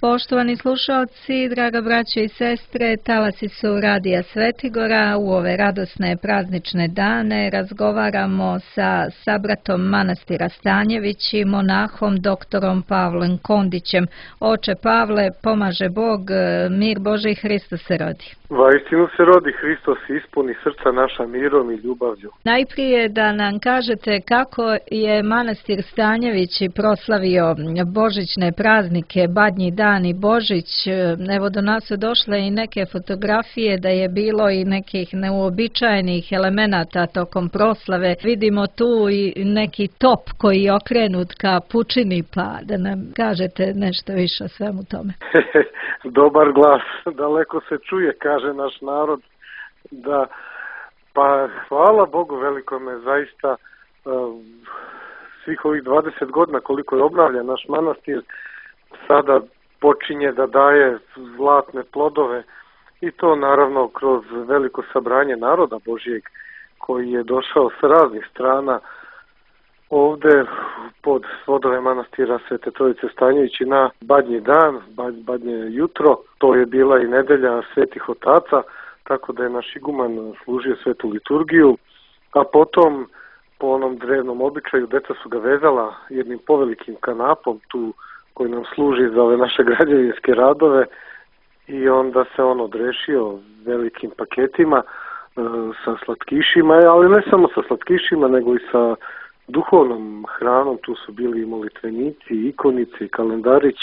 Poštovani slušalci, draga braćo i sestre, talasi su Radija Svetigora. U ove radosne praznične dane razgovaramo sa sabratom manastira Stanjević i monahom doktorom Pavlom Kondićem. Oče Pavle, pomaže Bog, mir Božji, Hristos se rodi. Vaistinu se rodi, Hristos ispuni srca naša mirom i ljubavlju. Najprije da nam kažete kako je manastir Stanjević proslavio božićne praznike, Badnji dan i Božić. Evo, do nas su došle i neke fotografije da je bilo i nekih neuobičajenih elemenata tokom proslave. Vidimo tu i neki top koji je okrenut ka pučini, pa da nam kažete nešto više o svemu tome. Dobar glas, daleko se čuje, kaže naš narod. Da, pa hvala Bogu velikome, zaista svih ovih 20 godina koliko je obnavljan naš manastir, sada počinje da daje zlatne plodove i to naravno kroz veliko sabranje naroda Božijeg koji je došao sa raznih strana ovde pod svodove manastira Svete Trojice Stanjević na Badnji dan, Badnje jutro. To je bila i nedelja Svetih Otaca, tako da je naš iguman služio svetu liturgiju, a potom po onom drevnom običaju deca su ga vezala jednim povelikim kanapom tu koji nam služi za ove naše građevinske radove i onda se on odrešio velikim paketima sa slatkišima, ali ne samo sa slatkišima nego i sa duhovnom hranom. Tu su bili i molitvenici, ikonice i kalendarić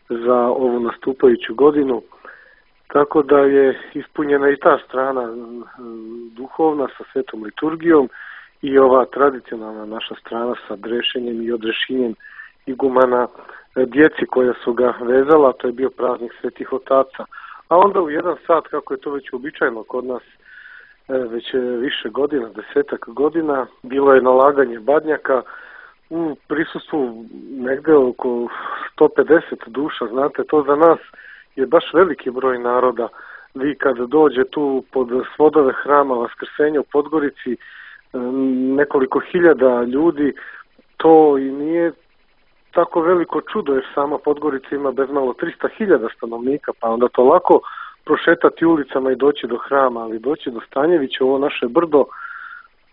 za ovu nastupajuću godinu, tako da je ispunjena i ta strana duhovna sa svetom liturgijom i ova tradicionalna naša strana sa drešenjem i odrešinjem igumana djeci koja su ga vezala. To je bio praznik Svetih Otaca. A onda u 1 sat, kako je to već uobičajeno kod nas već više godina, 10 godina, bilo je nalaganje badnjaka u prisustvu negde oko 150 duša. Znate, to za nas je baš veliki broj naroda. Vi kad dođe tu pod svodove hrama Vaskrsenja u Podgorici, nekoliko hiljada ljudi, to i nije tako veliko čudo, jer sama Podgorica ima bezmalo 300.000 stanovnika, pa onda to lako prošetati ulicama i doći do hrama, ali doći do Stanjevića, ovo naše brdo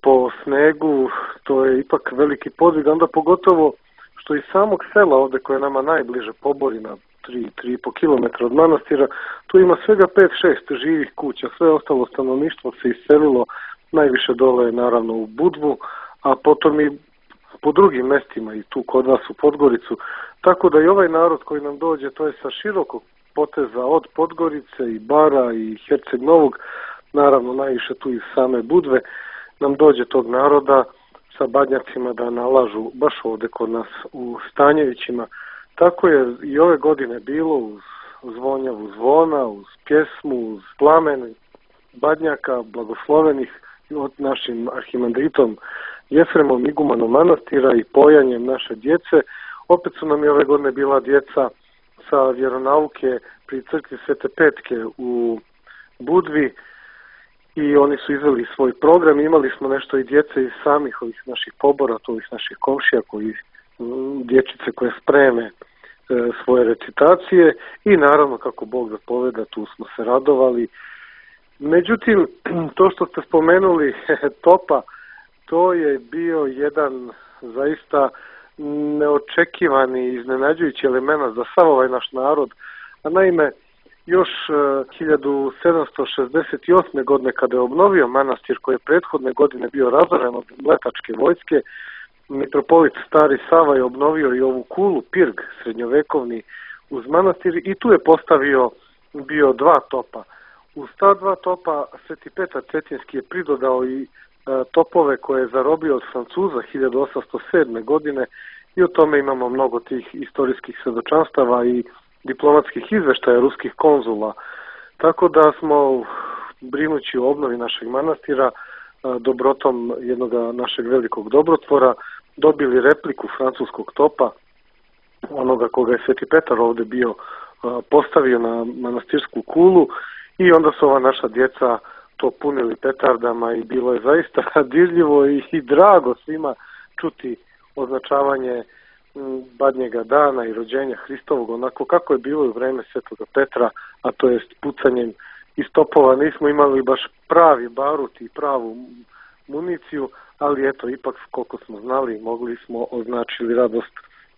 po snegu, to je ipak veliki podvig, onda pogotovo što iz samog sela ovde koje je nama najbliže, Poborina, 3,5 km od manastira, tu ima svega 5-6 živih kuća, sve ostalo stanovništvo se iselilo najviše dole naravno u Budvu, a potom i po drugim mestima i tu kod vas u Podgoricu, tako da i ovaj narod koji nam dođe, to je sa širokog poteza od Podgorice i Bara i Herceg Novog, naravno najviše tu iz same Budve, nam dođe tog naroda sa badnjacima da nalažu baš ovde kod nas u Stanjevićima. Tako je i ove godine bilo uz zvonjavu zvona, uz pjesmu, uz plamen badnjaka blagoslovenih od našim arhimandritom Jefremom, igumanom manastira i pojanjem naše djece. Opet su nam i ove godine bila djeca sa vjeronauke pri crkvi Svete Petke u Budvi i oni su izveli svoj program. Imali smo nešto i djece iz samih ovih naših pobora, ovih naših komšija, dječice koje spreme svoje recitacije i naravno kako Bog zapoveda, tu smo se radovali. Međutim, to što ste spomenuli topa, to je bio jedan zaista neočekivani, iznenađujući element za sav ovaj naš narod. A naime, još 1768. godine kada je obnovio manastir koji je prethodne godine bio razoren od mletačke vojske, mitropolit Stari Sava je obnovio i ovu kulu, pirg srednjovekovni uz manastir i tu je postavio bio 2 topa. Uz ta 2 topa Sveti Petar Cetinski je pridodao i topove koje je zarobio od Francuza 1807. godine i o tome imamo mnogo tih istorijskih svedočanstava i diplomatskih izveštaja ruskih konzula. Tako da smo, brinući o obnovi našeg manastira, dobrotom jednog našeg velikog dobrotvora, dobili repliku francuskog topa, onoga koga je Sveti Petar ovde bio postavio na manastirsku kulu i onda su ova naša djeca to punili petardama i bilo je zaista dirljivo i drago svima čuti označavanje Badnjega dana i rođenja Hristovog, onako kako je bilo u vreme Svetoga Petra, a to jest pucanjem iz topova. Nismo imali baš pravi barut i pravu municiju, ali eto, ipak koliko smo znali, mogli smo označili radost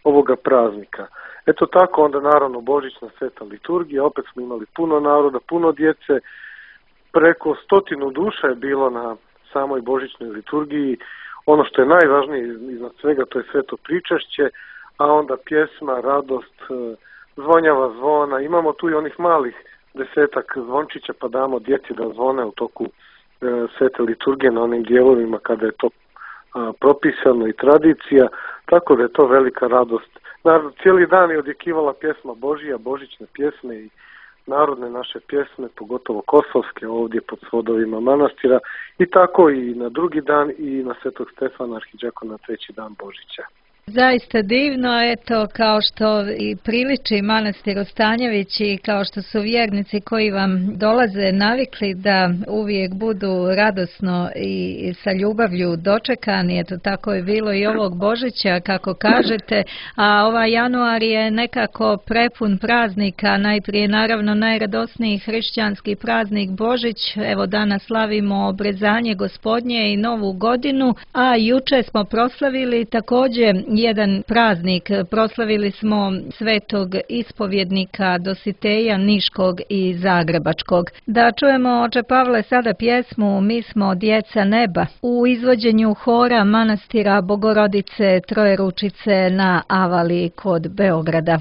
ovoga praznika. Eto tako, onda naravno Božićna sveta liturgija, opet smo imali puno naroda, puno djece, preko 100 duša je bilo na samoj Božićnoj liturgiji. Ono što je najvažnije iznad svega, to je sveto pričašće, a onda pjesma, radost, zvonjava zvona. Imamo tu i onih malih 10 zvončića, pa damo djeci da zvone u toku svete liturgije na onim dijelovima kada je to propisano i tradicija, tako da je to velika radost. Naravno, cijeli dan je odjekivala pjesma Božija, božićne pjesme i narodne naše pjesme, pogotovo kosovske, ovdje pod svodovima manastira, i tako i na drugi dan i na Svetog Stefana Arhidžakona, treći dan Božića. Zaista divno, eto, kao što i priliči manastiru Stanjević i kao što su vjernici koji vam dolaze navikli da uvijek budu radosno i sa ljubavlju dočekani, eto tako je bilo i ovog Božića kako kažete, a ovaj januar je nekako prepun praznika, najprije naravno najradosniji hrišćanski praznik Božić, evo danas slavimo obrezanje Gospodnje i Novu godinu, a juče smo proslavili također jedan praznik, proslavili smo svetog ispovjednika Dositeja Niškog i Zagrebačkog. Da čujemo, oče Pavle, sada pjesmu Mi smo djeca neba u izvođenju hora manastira Bogorodice Trojeručice na Avali kod Beograda.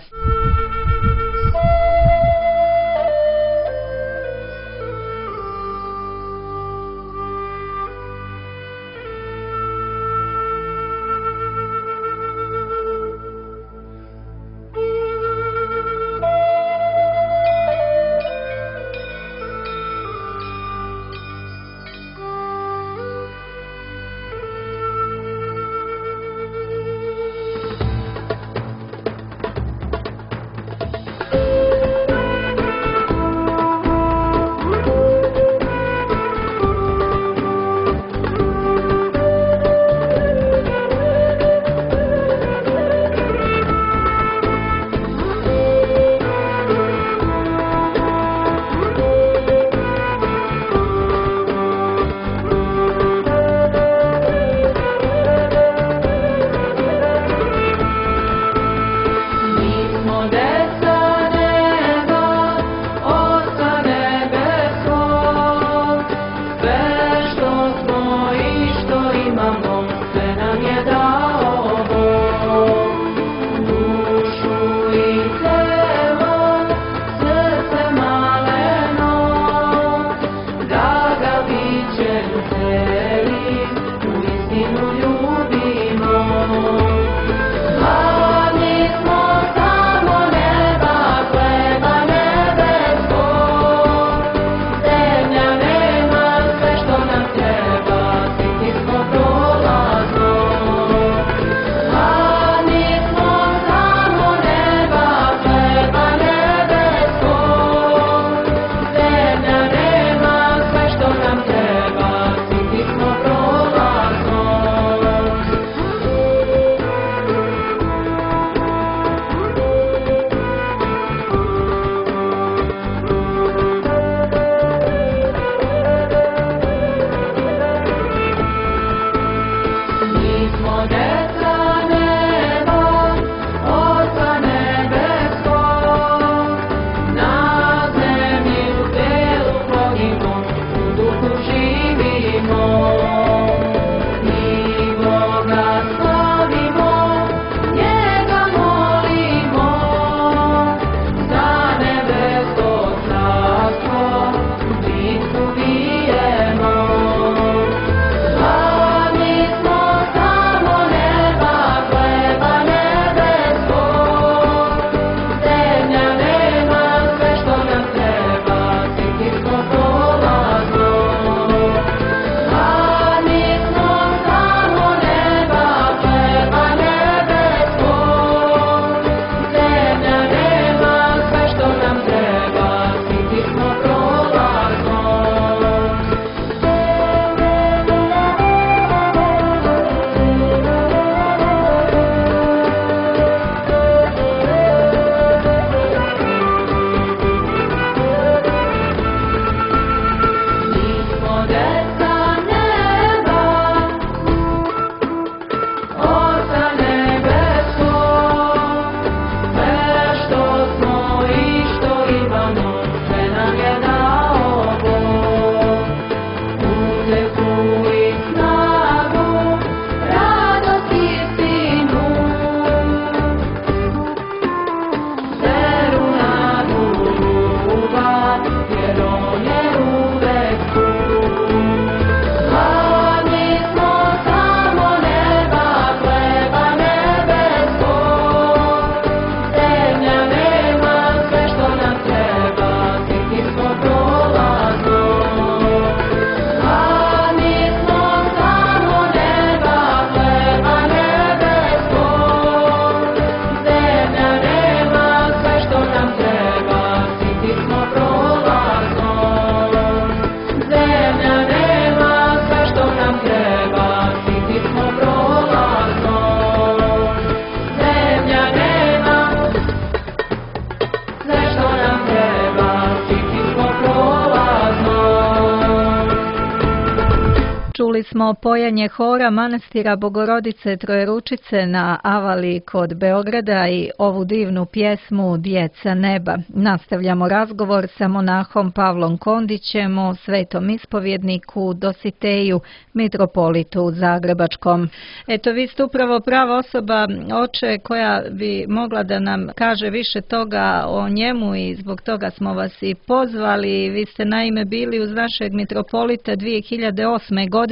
Čuli smo pojanje hora manastira Bogorodice Trojeručice na Avali kod Beograda i ovu divnu pjesmu Djeca neba. Nastavljamo razgovor sa monahom Pavlom Kondićem o svetom ispovjedniku Dositeju, mitropolitu Zagrebačkom. Eto, vi ste upravo prava osoba, oče, koja bi mogla da nam kaže više toga o njemu i zbog toga smo vas i pozvali. Vi ste naime bili uz našeg mitropolita 2008. godine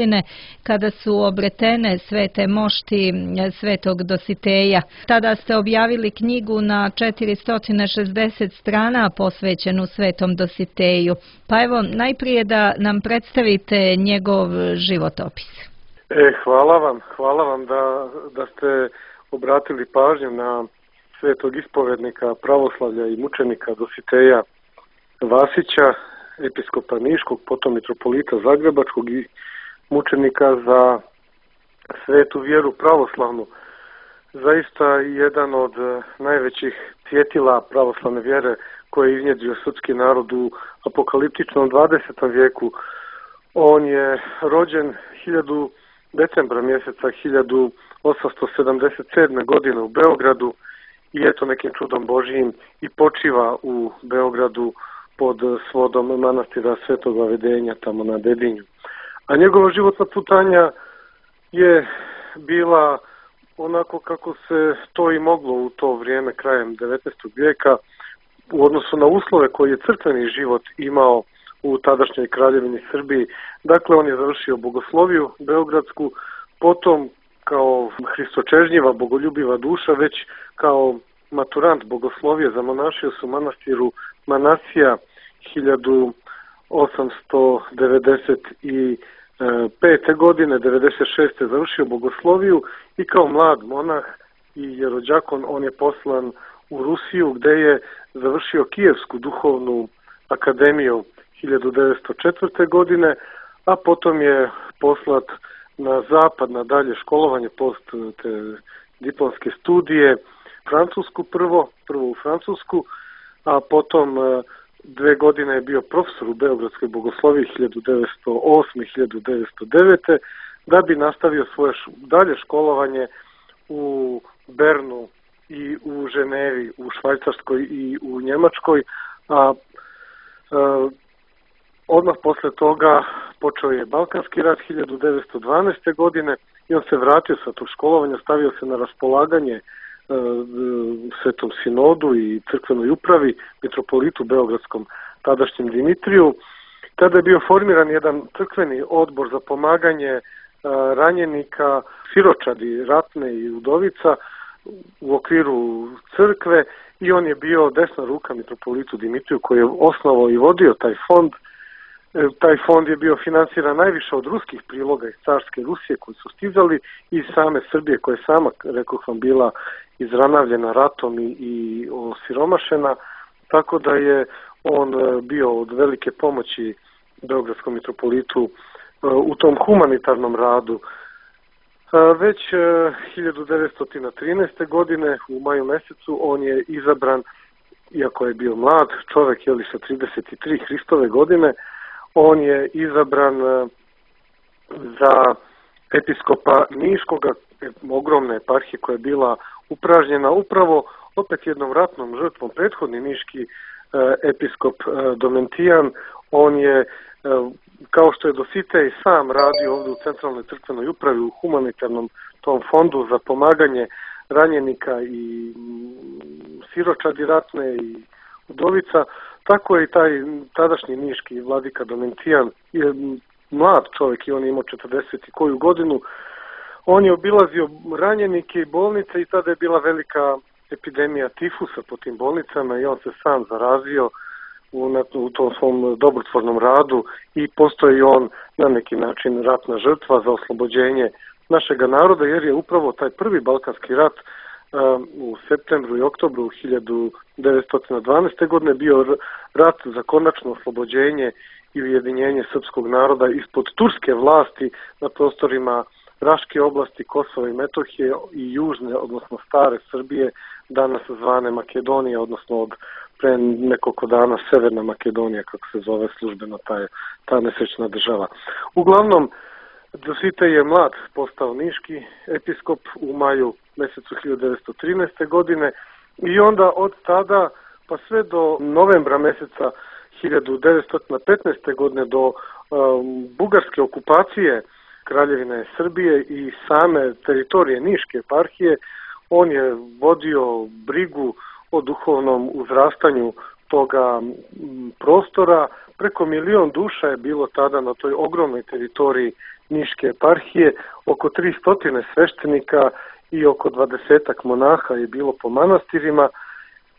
kada su obretene svete mošti svetog Dositeja. Tada ste objavili knjigu na 460 strana posvećenu svetom Dositeju. Pa evo, najprije da nam predstavite njegov životopis. Hvala vam da ste obratili pažnju na svetog ispovednika pravoslavlja i mučenika Dositeja Vasića, episkopa Niškog, potom mitropolita Zagrebačkog i mučenika za svetu vjeru pravoslavnu. Zaista jedan od najvećih cvjetila pravoslavne vjere koje je iznjedrio srpski narod u apokaliptičnom 20. vijeku. On je rođen decembra mjeseca 1877. godine u Beogradu i eto nekim čudom Božijim i počiva u Beogradu pod svodom manastira Svetoga Vedenja tamo na Dedinju. A njegova životna putanja je bila onako kako se to i moglo u to vrijeme krajem 19. vijeka u odnosu na uslove koje je crkveni život imao u tadašnjoj kraljevini Srbiji. Dakle, on je završio bogosloviju beogradsku, potom kao hristočežnjiva, bogoljubiva duša, već kao maturant bogoslovije zamonašio se u manastiru Manasija 1895. godine, 96. završio bogosloviju i kao mlad monah i jerođakon on je poslan u Rusiju gdje je završio Kijevsku duhovnu akademiju 1904. godine, a potom je poslat na zapad na dalje školovanje post te diplomske studije, Francusku prvo u Francusku, a potom 2 godine je bio profesor u Beogradskoj bogosloviji 1908-1909. da bi nastavio svoje dalje školovanje u Bernu i u Ženevi, u Švajcarskoj i u Njemačkoj, a odmah posle toga počeo je Balkanski rat 1912. godine i on se vratio sa tog školovanja, stavio se na raspolaganje Svetom sinodu i crkvenoj upravi, mitropolitu beogradskom tadašnjem Dimitriju. Tada je bio formiran jedan crkveni odbor za pomaganje ranjenika, siročadi, ratne i udovica u okviru crkve i on je bio desna ruka mitropolitu Dimitriju koji je osnovao i vodio taj fond. Taj fond je bio finansiran najviše od ruskih priloga iz carske Rusije koji su stizali i same Srbije koja je sama, rekao sam, bila izranavljena ratom i osiromašena, tako da je on bio od velike pomoći beogradskom mitropolitu u tom humanitarnom radu. Već 1913. godine u maju mjesecu on je izabran, iako je bio mlad čovjek, sa 33 Hristove godine, on je izabran za episkopa Niškoga, ogromne eparhije koja je bila upražnjena upravo opet jednom ratnom žrtvom. Prethodni niški episkop Domentijan, on je, kao što je Dositej sam radio ovdje u Centralnoj crkvenoj upravi u humanitarnom tom fondu za pomaganje ranjenika i siročadi ratne i udovica, tako je i taj tadašnji niški vladika Domentijan, je mlad čovjek i on je imao 40 i koju godinu. On je obilazio ranjenike i bolnice i tada je bila velika epidemija tifusa po tim bolnicama i on se sam zarazio u tom svom dobrotvornom radu i postoji on na neki način ratna žrtva za oslobođenje našega naroda, jer je upravo taj prvi Balkanski rat u septembru i oktobru 1912. godine bio rat za konačno oslobođenje i ujedinjenje srpskog naroda ispod turske vlasti na prostorima Raške oblasti, Kosova i Metohije i južne, odnosno stare Srbije, danas zvane Makedonije, odnosno od pre nekoliko dana Severna Makedonija, kako se zove službeno ta nesrećna država. Uglavnom, Dositej je mlad postao niški episkop u maju mjesecu 1913. godine i onda od tada pa sve do novembra mjeseca 1915. godine do bugarske okupacije Kraljevine Srbije i same teritorije Niške eparhije, on je vodio brigu o duhovnom uzrastanju toga prostora. Preko 1.000.000 duša je bilo tada na toj ogromnoj teritoriji Niške eparhije, oko 300 sveštenika i oko 20 monaha je bilo po manastirima,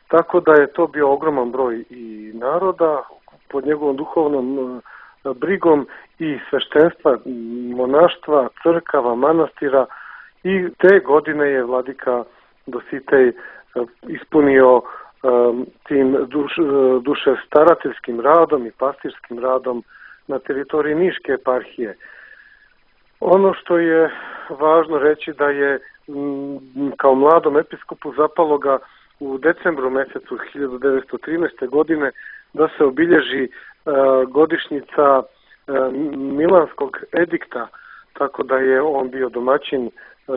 tako da je to bio ogroman broj i naroda pod njegovom duhovnom brigom i sveštenstva, monaštva, crkava, manastira, i te godine je vladika Dositej ispunio tim duše starateljskim radom i pastirskim radom na teritoriji Niške eparhije. Ono što je važno reći da je kao mladom episkopu zapalo ga u decembru mjesecu 1913. godine da se obilježi godišnjica Milanskog edikta, tako da je on bio domaćin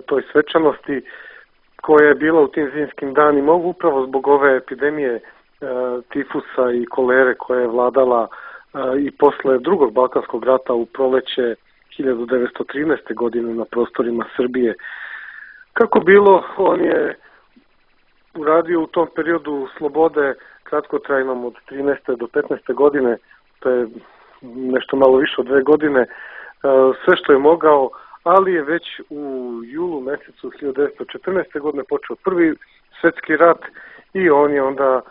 toj svečanosti koja je bila u tim zimskim danima upravo zbog ove epidemije tifusa i kolere koja je vladala i posle drugog Balkanskog rata u proleće 1913. godine na prostorima Srbije. Kako bilo, on je uradio u tom periodu slobode kratkotrajnom od 13. do 15. godine, to je nešto malo više od 2 godine, sve što je mogao, ali je već u julu mjesecu 1914. godine počeo Prvi svjetski rat i on je onda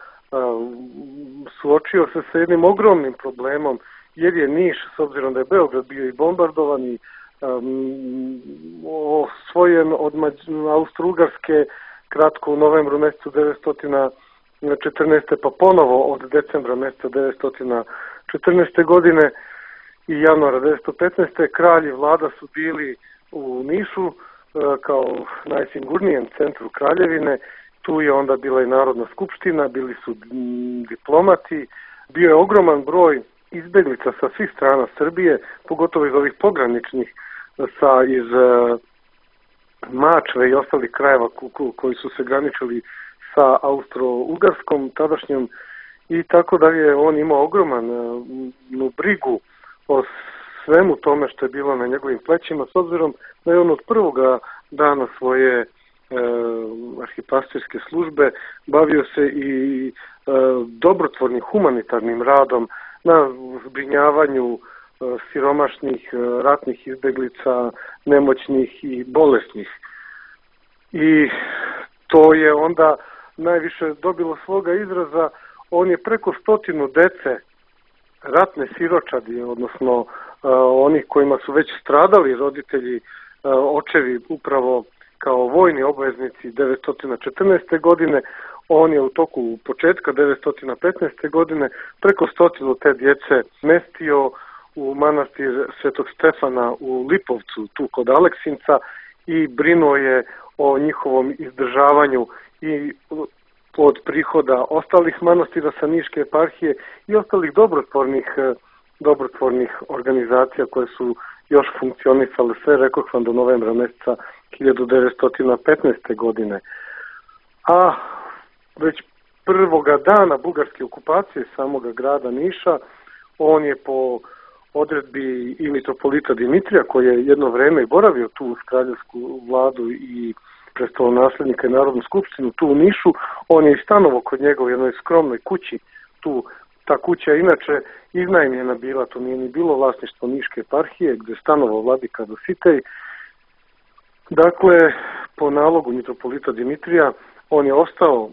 suočio se sa jednim ogromnim problemom, jer je Niš, s obzirom da je Beograd bio i bombardovan i osvojen od Austro-Ugarske kratko u novembru mjesecu 1914. pa ponovo od decembra mjeseca 1914. godine i januara 1915. kralj i vlada su bili u Nišu kao najsigurnijem centru kraljevine. Tu je onda bila i Narodna skupština, bili su diplomati, bio je ogroman broj izbeglica sa svih strana Srbije, pogotovo iz ovih pograničnih, iz Mačve i ostalih krajeva koji su se graničili sa Austro-Ugarskom tadašnjom, i tako da je on imao ogromanu brigu o svemu tome što je bilo na njegovim plećima, s obzirom da je on od prvoga dana svoje arhipastirske službe bavio se i dobrotvornim humanitarnim radom na zbrinjavanju siromašnih ratnih izbeglica, nemoćnih i bolesnih. I to je onda najviše dobilo svoga izraza. On je preko 100 dece, ratne siročadi, odnosno oni kojima su već stradali roditelji, očevi upravo kao vojni obveznici 1914. godine, on je u toku početka 1915. godine preko 100 te djece mestio u manastir Svetog Stefana u Lipovcu, tu kod Aleksinca, i brinuo je o njihovom izdržavanju i od prihoda ostalih manastira sa Niške eparhije i ostalih dobrotvornih organizacija koje su još funkcionisale sve, rekoh vam, do novembra mjeseca 1915. godine. A već prvoga dana bugarske okupacije samoga grada Niša, on je po odredbi i mitropolita Dimitrija, koji je jedno vreme boravio tu uz kraljevsku vladu i prestolonaslednika i Narodnu skupštinu tu u Nišu, on je i stanovao kod njega u jednoj skromnoj kući. Ta kuća je inače iznajmljena bila, to nije ni bilo vlasništvo Niške eparhije, gdje je stanovao vladika Dositej. Dakle, po nalogu mitropolita Dimitrija, on je ostao,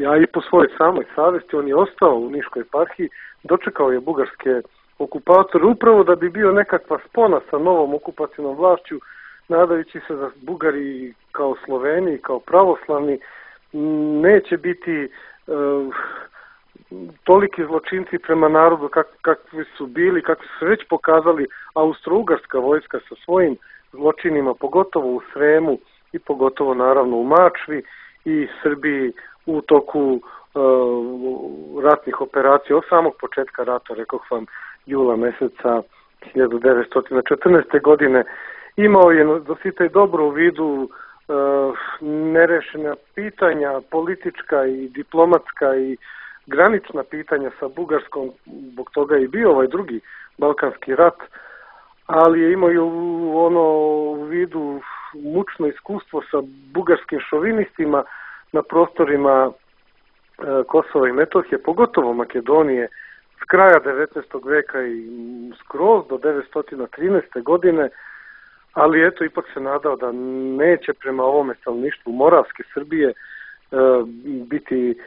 a i po svojoj samoj savjesti, on je ostao u Niškoj eparhiji, dočekao je bugarske okupatore upravo da bi bio nekakva spona sa novom okupacijnom vlašću, nadajući se da Bugari kao Sloveni, kao pravoslavni, neće biti toliki zločinci prema narodu kakvi su bili, kakvi su već pokazali Austro-Ugarska vojska sa svojim zločinima, pogotovo u Sremu i pogotovo naravno u Mačvi i Srbiji u toku ratnih operacija od samog početka rata, rekoh vam, jula mjeseca 1914. godine. Imao je Dositej dobro u vidu nerešena pitanja, politička i diplomatska i granična pitanja sa Bugarskom, zbog toga i bio ovaj drugi Balkanski rat, ali je imao u vidu mučno iskustvo sa bugarskim šovinistima na prostorima Kosova i Metohije, pogotovo Makedonije, s kraja 19. veka i skroz do 1913. godine, ali eto, ipak se nadao da neće prema ovome stanovništvu Moravske Srbije biti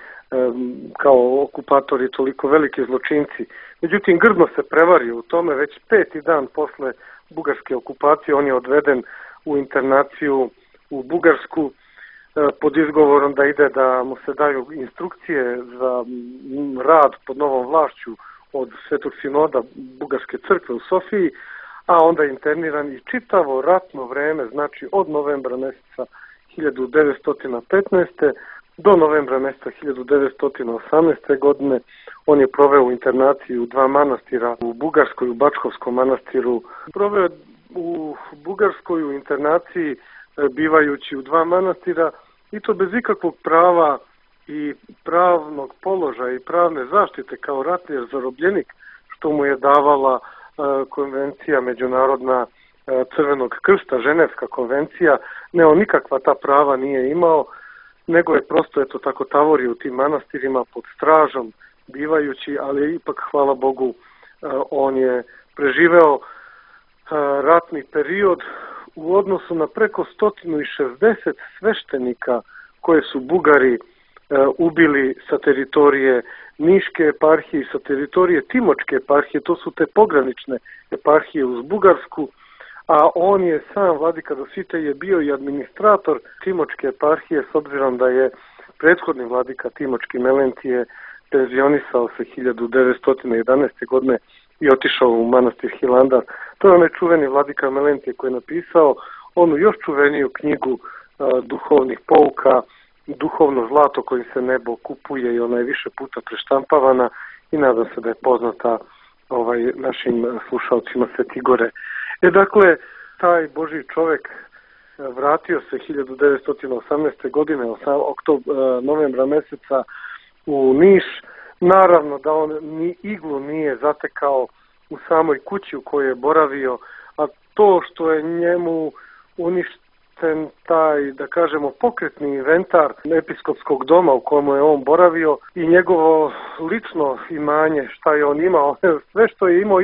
kao okupatori toliko veliki zločinci. Međutim, grdno se prevario u tome. Već 5. dan posle bugarske okupacije on je odveden u internaciju u Bugarsku pod izgovorom da ide da mu se daju instrukcije za rad pod novom vlašću od Svetog sinoda Bugarske crkve u Sofiji, a onda je interniran i čitavo ratno vreme, znači od novembra mjeseca 1915. do novembra mjeseca 1918. godine on je proveo u internaciji u 2 manastira, u Bugarskoj, u Bačkovskom manastiru. Proveo u Bugarskoj u internaciji bivajući u 2 manastira i to bez ikakvog prava i pravnog položaja i pravne zaštite kao ratni zarobljenik, što mu je davala konvencija međunarodna Crvenog krsta, Ženevska konvencija. Ne, on nikakva ta prava nije imao, nego je prosto tako tavorio u tim manastirima pod stražom bivajući, ali ipak, hvala Bogu, on je preživeo ratni period u odnosu na preko 160 sveštenika koje su Bugari ubili sa teritorije Niške eparhije i sa teritorije Timočke eparhije. To su te pogranične eparhije uz Bugarsku, a on je sam, vladika Dositej, je bio i administrator Timočke eparhije, s obzirom da je prethodni vladika Timočki Melentije penzionisao se 1911. godine i otišao u manastir Hilandar. To je onaj čuveni vladika Melentije koji je napisao onu još čuveniju knjigu duhovnih pouka, Duhovno zlato kojim se nebo kupuje, i ona je više puta preštampavana i nadam se da je poznata našim slušalcima Sveti Gore. Dakle, taj Božji čovjek vratio se 1918. godine, novembra mjeseca u Niš. Naravno da on ni iglu nije zatekao u samoj kući u kojoj je boravio, a to što je njemu uništen taj, da kažemo, pokretni inventar episkopskog doma u kojemu je on boravio i njegovo lično imanje, šta je on imao, sve što je imao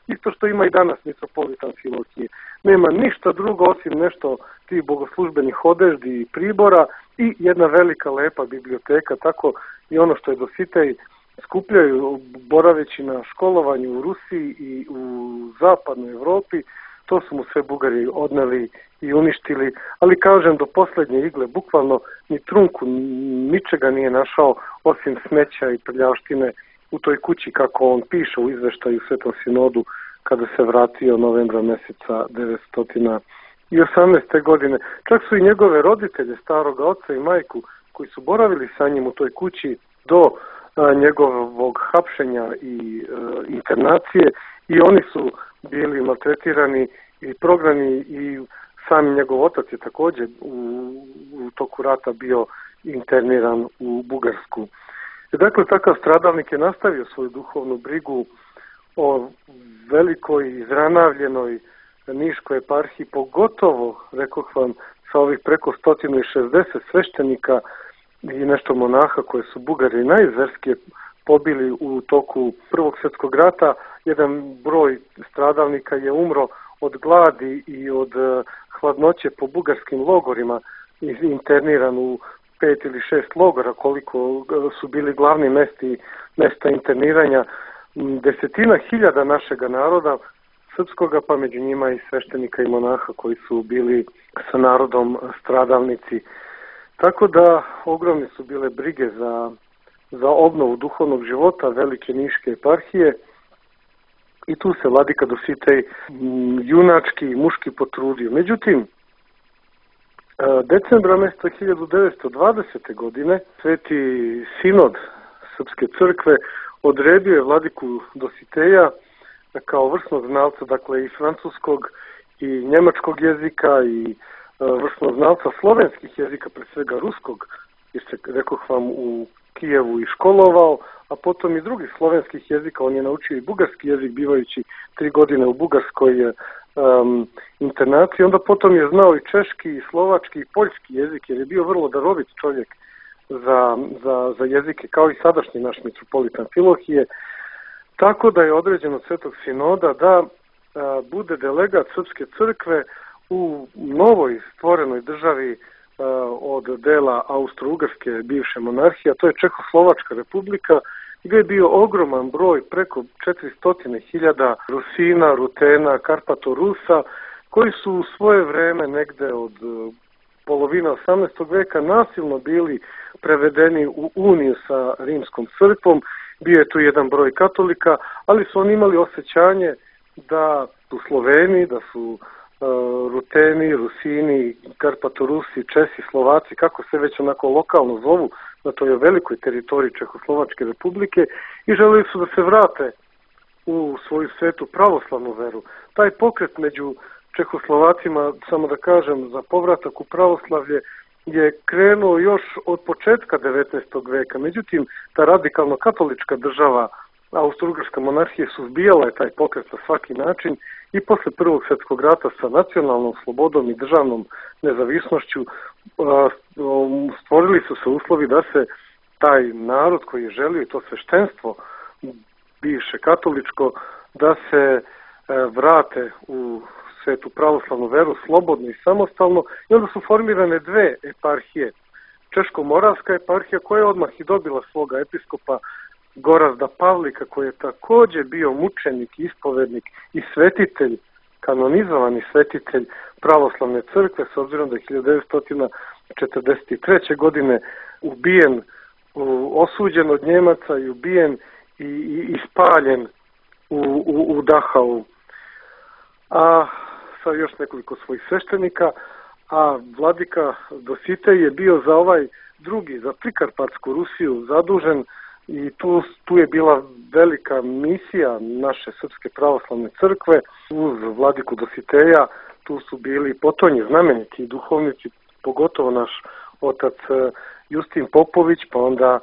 isto što ima i danas mitropolitan Filohije. Nema ništa drugo osim nešto tih bogoslužbenih odeždi i pribora i jedna velika lepa biblioteka. Tako i ono što je Dositej skupljaju boraveći na školovanju u Rusiji i u zapadnoj Evropi, to su mu sve Bugari odneli i uništili, ali kažem, do posljednje igle, bukvalno ni trunku ničega nije našao osim smeća i prljavštine u toj kući, kako on piše u izveštaju Svetom sinodu kada se vratio novembra mjeseca 1918. godine. Čak su i njegove roditelje, staroga oca i majku, koji su boravili sa njim u toj kući do njegovog hapšenja i internacije, i oni su bili maltretirani i prognani, i sam njegov otac je također u toku rata bio interniran u Bugarsku. Dakle, takav stradalnik je nastavio svoju duhovnu brigu o velikoj izranavljenoj Niškoj eparhiji, pogotovo, rekoh vam, sa ovih preko 160 sveštenika i nešto monaha koje su Bugari najzverskije pobili u toku Prvog svjetskog rata. Jedan broj stradalnika je umro od gladi i od hladnoće po bugarskim logorima, interniran u 5 ili 6 logora, koliko su bili glavni mesta interniranja. Desetina hiljada našega naroda srpskoga, pa među njima i sveštenika i monaha koji su bili sa narodom stradalnici. Tako da ogromne su bile brige za obnovu duhovnog života velike Niške eparhije, i tu se vladika Dositej junački i muški potrudio. Međutim, decembra mjeseca 1920. godine Sveti sinod Srpske crkve odredio je vladiku Dositeja kao vrsnog znalca, dakle i francuskog i njemačkog jezika i vrsnog znalca slovenskih jezika, pre svega ruskog, jer se, rekoh vam, u Kijevu i školovao, a potom i drugih slovenskih jezika. On je naučio i bugarski jezik, bivajući 3 godine u bugarskoj internaciji. Onda potom je znao i češki, i slovački, i poljski jezik, jer je bio vrlo darovit čovjek za jezike, kao i sadašnji naš mitropolit Amfilohije. Tako da je određeno od Svetog sinoda da bude delegat Srpske crkve u novoj stvorenoj državi od dela Austro-Ugarske bivše monarhije, a to je Čehoslovačka republika, gdje je bio ogroman broj, preko 400.000 Rusina, Rutena, Karpato-Rusa, koji su u svoje vreme negde od polovine 18. veka nasilno bili prevedeni u uniju sa Rimskom crkvom. Bio je tu jedan broj katolika, ali su oni imali osjećanje da su Sloveni, da su Ruteni, Rusini, Karpatorusi, Česi, Slovaci, kako se već onako lokalno zovu na toj velikoj teritoriji Čehoslovačke republike, i želeli su da se vrate u svoju svetu pravoslavnu veru. Taj pokret među Čehoslovacima, samo da kažem, za povratak u pravoslavlje je krenuo još od početka 19. veka. Međutim, ta radikalno katolička država, Austro-Ugarska monarhija, suzbijala je taj pokret na svaki način i posle Prvog svjetskog rata sa nacionalnom slobodom i državnom nezavisnošću stvorili su se uslovi da se taj narod koji je želio, i to sveštenstvo bivše katoličko, da se vrate u svetu pravoslavnu veru slobodno i samostalno, i onda su formirane 2 eparhije. Češko-moravska eparhija, koja je odmah i dobila svoga episkopa Gorazda Pavlika, koji je također bio mučenik, ispovednik i svetitelj, kanonizovani svetitelj pravoslavne crkve, s obzirom da je 1943. godine ubijen, osuđen od Njemaca i ubijen i spaljen u Dachau. A sa još nekoliko svojih sveštenika, a vladika Dositej je bio za ovaj drugi, za Prikarpatsku Rusiju zadužen, i tu je bila velika misija naše Srpske pravoslavne crkve. Uz vladiku Dositeja tu su bili potonji znameniti duhovnici, pogotovo naš otac Justin Popović, pa onda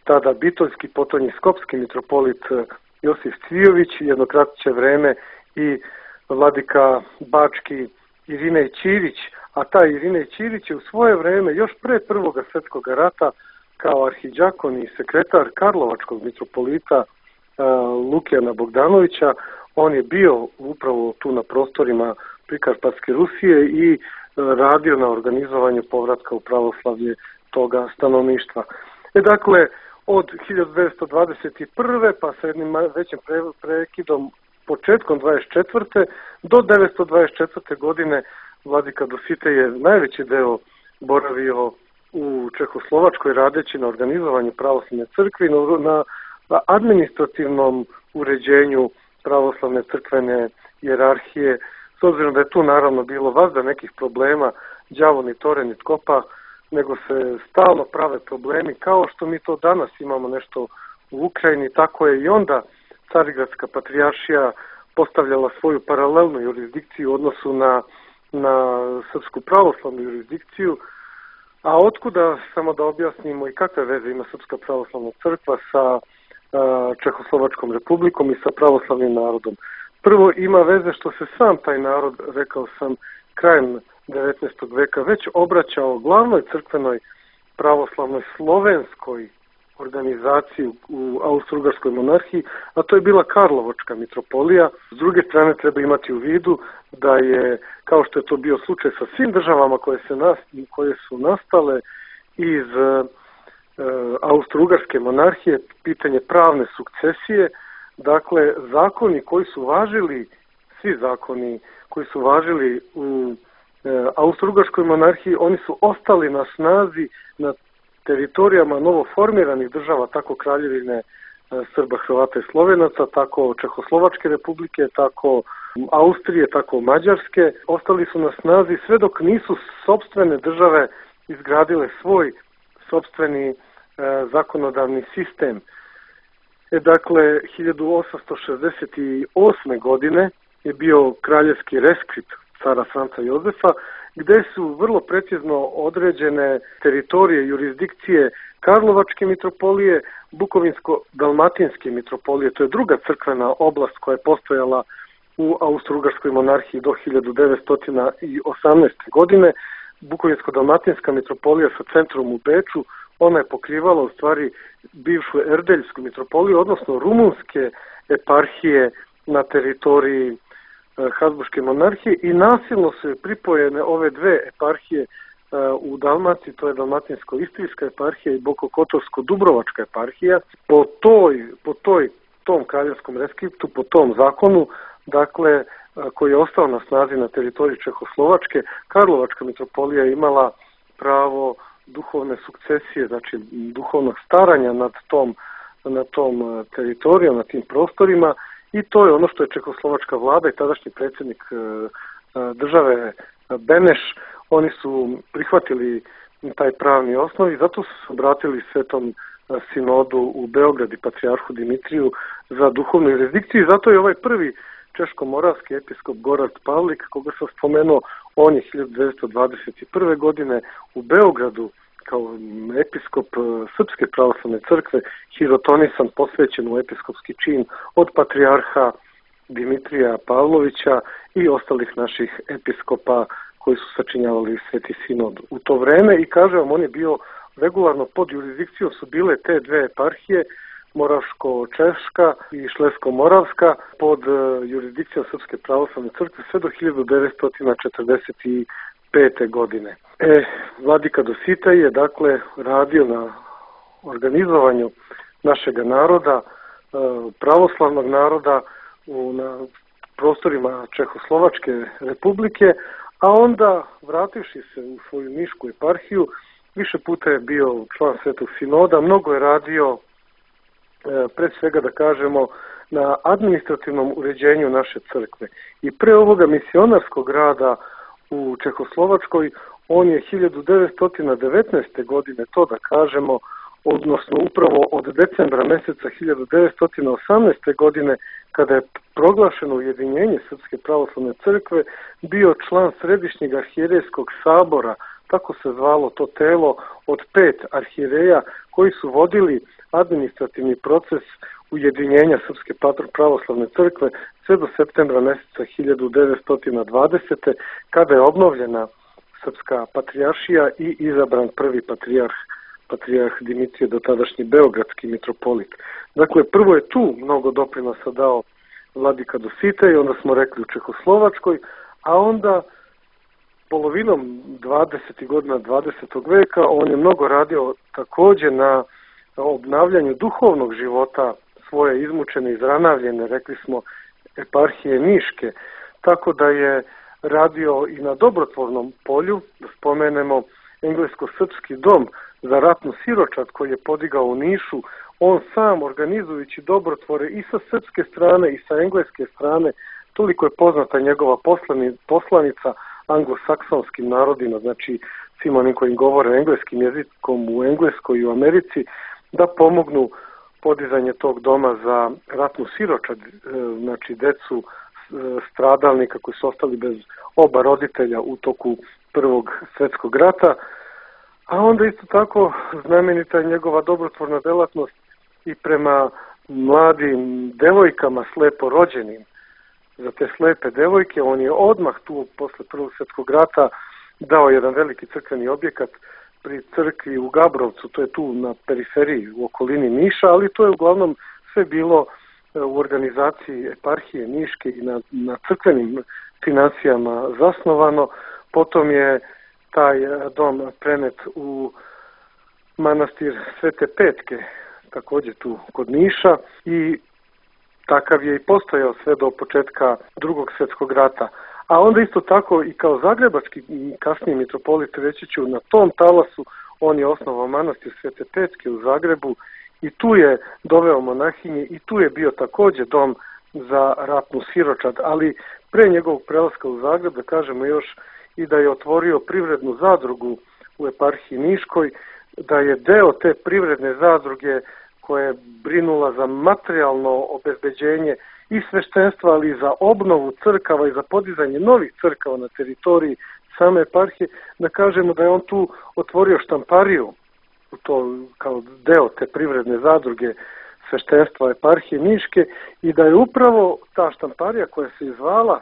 tada bitoljski potonji skopski mitropolit Josif Cvijović, jedno kratće vreme i vladika bački Irinej Ćirić, a taj Irinej Ćirić je u svoje vreme, još pre Prvog svjetskog rata, kao arhidžakon i sekretar karlovačkog mitropolita Lukijana Bogdanovića, on je bio upravo tu na prostorima Prikarpatske Rusije i radio na organizovanju povratka u pravoslavlje toga stanovništva. Dakle, od 1921. pa sa jednim većim prekidom početkom 24. do 1924. godine vladika Dositej je najveći deo boravio u Čehoslovačkoj, radeći na organizovanju pravoslavne crkve i na administrativnom uređenju pravoslavne crkvene hijerarhije, s obzirom da je tu naravno bilo vazda nekih problema, đavo ni tore ni tkopa, nego se stalno prave problemi, kao što mi to danas imamo nešto u Ukrajini, tako je i onda Carigradska patrijaršija postavljala svoju paralelnu jurisdikciju u odnosu na Srpsku pravoslavnu jurisdikciju. A otkuda, samo da objasnimo i kakve veze ima Srpska pravoslavna crkva sa Čehoslovačkom republikom i sa pravoslavnim narodom. Prvo, ima veze što se sam taj narod, rekao sam, krajem 19. veka već obraćao glavnoj crkvenoj pravoslavnoj slovenskoj organizaciji u Austro-Ugarskoj monarhiji, a to je bila Karlovačka mitropolija. S druge strane, treba imati u vidu da je, kao što je to bio slučaj sa svim državama koje su nastale iz Austro-Ugarske monarhije, pitanje pravne sukcesije, dakle, zakoni koji su važili, svi zakoni koji su važili u Austro-Ugarskoj monarhiji, oni su ostali na snazi na teritorijama novoformiranih država, tako Kraljevine Srba, Hrvata i Slovenaca, tako Čehoslovačke republike, tako Austrije, tako Mađarske. Ostali su na snazi sve dok nisu sopstvene države izgradile svoj sopstveni zakonodavni sistem. Dakle, 1868. godine je bio kraljevski reskript cara Franca Jozefa, gde su vrlo precizno određene teritorije, jurisdikcije Karlovačke mitropolije, Bukovinsko-dalmatinske mitropolije. To je druga crkvena oblast koja je postojala u Austro-Ugarskoj monarhiji do 1918. godine. Bukovinsko-dalmatinska mitropolija sa centrom u Beču, ona je pokrivala u stvari bivšu Erdeljsku mitropoliju, odnosno rumunske eparhije na teritoriji Habsburške monarhije, i nasilno su pripojene ove dve eparhije u Dalmaciji, to je Dalmatinsko-Istrijska eparhija i Bokokotorsko-Dubrovačka eparhija. Po tom kraljevskom reskriptu, po tom zakonu, dakle, koji je ostao na snazi na teritoriji Čehoslovačke, Karlovačka mitropolija je imala pravo duhovne sukcesije, znači duhovnog staranja nad tom teritorijom, na tim prostorima, i to je ono što je čehoslovačka vlada i tadašnji predsjednik države Beneš, oni su prihvatili taj pravni osnov i zato su se obratili Svetom sinodu u Beograd i patrijarhu Dimitriju za duhovnu jurisdikciju, i zato je ovaj prvi češko-moravski episkop Gorad Pavlik, koga sam spomenuo, on je 1921. godine u Beogradu kao episkop Srpske pravoslavne crkve hirotonisan, posvećen u episkopski čin od patrijarha Dimitrija Pavlovića i ostalih naših episkopa koji su sačinjavali Sveti sinod u to vreme. I kaže vam, on je bio regularno pod jurisdikcijom, su bile te dve eparhije, Moravško-Češka i Šlesko-Moravska, pod jurisdikcijom Srpske pravoslavne crkve sve do 1945. godine. Vladika Dositej je dakle radio na organizovanju našega naroda, pravoslavnog naroda na prostorima Čehoslovačke republike, a onda, vrativši se u svoju nišku eparhiju, više puta je bio član Svetog sinoda, mnogo je radio, pre svega da kažemo, na administrativnom uređenju naše crkve. I pre ovoga misionarskog rada u Čehoslovačkoj, on je 1919. godine, to da kažemo, odnosno upravo od decembra meseca 1918. godine, kada je proglašeno ujedinjenje Srpske pravoslavne crkve, bio član Središnjeg arhijerejskog sabora, tako se zvalo to telo od 5 arhijereja koji su vodili administrativni proces ujedinjenja Srpske pravoslavne crkve sve do septembra meseca 1920. kada je obnovljena Srpska patrijaršija i izabran prvi patrijarh Dimitrije, dotadašnji beogradski mitropolit. Dakle, prvo je tu mnogo doprinosa dao vladika Dositej, onda smo rekli u Čehoslovačkoj, a onda polovinom 20. godina 20. veka on je mnogo radio također na obnavljanju duhovnog života svoje izmučene, izranavljene, rekli smo, eparhije Niške, tako da je radio i na dobrotvornom polju, da spomenemo englesko-srpski dom za ratnu siročad koji je podigao u Nišu, on sam organizujući dobrotvore i sa srpske strane i sa engleske strane. Toliko je poznata njegova poslanica anglosaksonskim narodima, znači svima onim koji govore engleskim jezikom u Engleskoj i u Americi, da pomognu podizanje tog doma za ratnu siročad, znači decu stradalnika koji su ostali bez oba roditelja u toku Prvog svjetskog rata. A onda isto tako znamenita je njegova dobrotvorna delatnost i prema mladim devojkama slepo rođenim. Za te slepe devojke on je odmah tu posle Prvog svjetskog rata dao jedan veliki crkveni objekat pri crkvi u Gabrovcu, to je tu na periferiji u okolini Niša, ali to je uglavnom sve bilo u organizaciji eparhije Niške i na crkvenim financijama zasnovano. Potom je taj dom prenet u manastir Svete Petke, također tu kod Niša, i takav je i postojao sve do početka Drugog svjetskog rata. A onda isto tako i kao zagrebački kasniji mitropolit, reći ću, na tom talasu on je osnovao manastir Svete Petke u Zagrebu i tu je doveo monahinje i tu je bio također dom za ratnu siročad, ali pre njegovog prelaska u Zagreb, da kažemo još, i da je otvorio privrednu zadrugu u eparhiji Niškoj, da je deo te privredne zadruge koja je brinula za materijalno obezbeđenje i sveštenstva, ali i za obnovu crkava i za podizanje novih crkava na teritoriji same eparhije, da kažemo da je on tu otvorio štampariju, to kao deo te privredne zadruge sveštenstva eparhije Niške, i da je upravo ta štamparija koja se zvala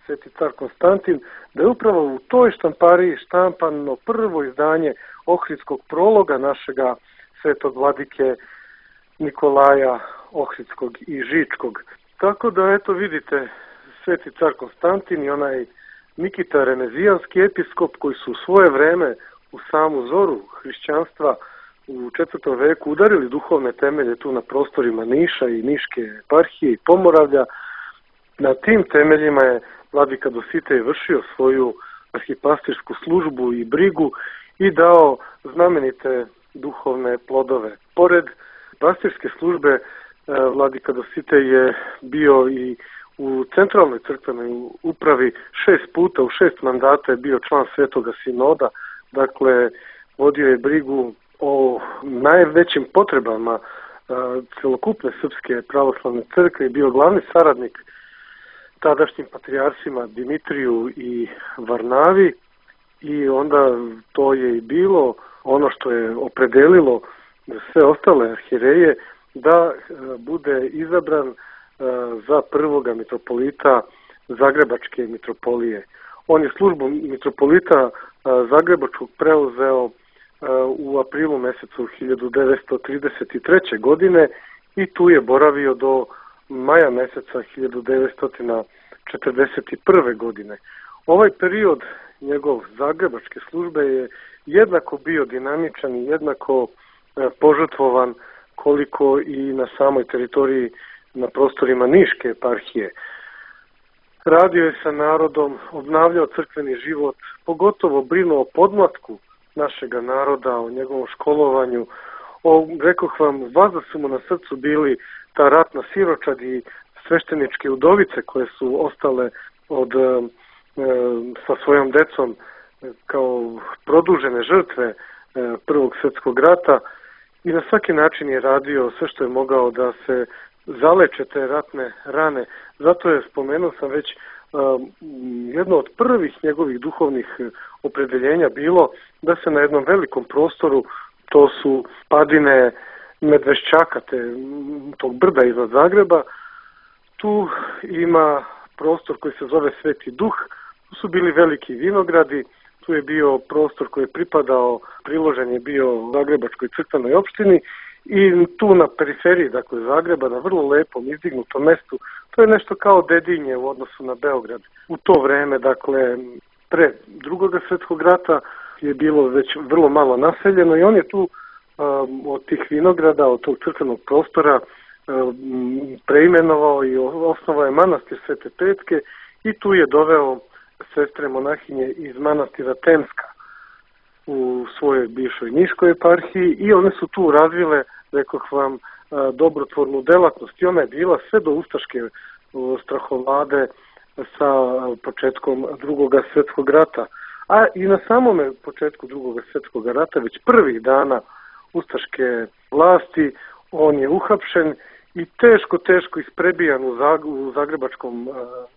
Sveti car Konstantin, da je upravo u toj štampariji štampano prvo izdanje Ohridskog prologa našega svetog vladike Nikolaja Ohridskog i Žičkog. Tako da, eto vidite, Sveti car Konstantin i onaj Nikita Renezijanski episkop, koji su u svoje vreme u samu zoru hrišćanstva u 4. veku udarili duhovne temelje tu na prostorima Niša i Niške eparhije i Pomoravlja. Na tim temeljima je vladika Dositej vršio svoju arhipastirsku službu i brigu i dao znamenite duhovne plodove. Pored pastirske službe, vladika Dositej je bio i u centralnoj crkvenoj upravi 6 puta, u 6 mandata je bio član Svetoga sinoda, dakle vodio je brigu o najvećim potrebama celokupne srpske pravoslavne crkve i bio glavni saradnik tadašnjim patrijarsima Dimitriju i Varnavi, i onda to je i bilo ono što je opredelilo sve ostale arhijereje da bude izabran za prvoga mitropolita Zagrebačke mitropolije. On je službu mitropolita Zagrebačkog preuzeo u aprilu mesecu 1933. godine i tu je boravio do maja meseca 1941. godine. Ovaj period njegov zagrebačke službe je jednako bio dinamičan i jednako požrtvovan koliko i na samoj teritoriji na prostorima Niške eparhije. Radio je sa narodom, obnavljao crkveni život, pogotovo brinuo o podmlatku našega naroda, o njegovom školovanju. Rekoh vam, važno su mu na srcu bili ta ratna siročad i svešteničke udovice koje su ostale sa svojom decom kao produžene žrtve Prvog svjetskog rata, i na svaki način je radio sve što je mogao da se zaleče te ratne rane. Zato je, spomenuo sam već, jedno od prvih njegovih duhovnih opredeljenja bilo da se na jednom velikom prostoru, to su padine Medvešćaka, tog brda iznad Zagreba, tu ima prostor koji se zove Sveti Duh, tu su bili veliki vinogradi, tu je bio prostor koji je pripadao, priložen je bio Zagrebačkoj crkvenoj opštini, i tu na periferiji, dakle Zagreba, na vrlo lepom izdignutom mestu, to je nešto kao Dedinje u odnosu na Beograd. U to vreme, dakle, pre Drugog svjetskog rata je bilo već vrlo malo naseljeno i on je tu od tih vinograda, od tog crkvenog prostora preimenovao i osnovao je manastir Svete Petke i tu je doveo sestre monahinje iz manastira Temska u svojoj bivšoj Niškoj eparhiji i one su tu razvile, rekoh vam, dobrotvornu delatnost i ona je bila sve do ustaške strahovlade sa početkom Drugog svjetskog rata. A i na samome početku Drugog svjetskog rata, već prvih dana ustaške vlasti, on je uhapšen i teško isprebijan u Zagrebačkom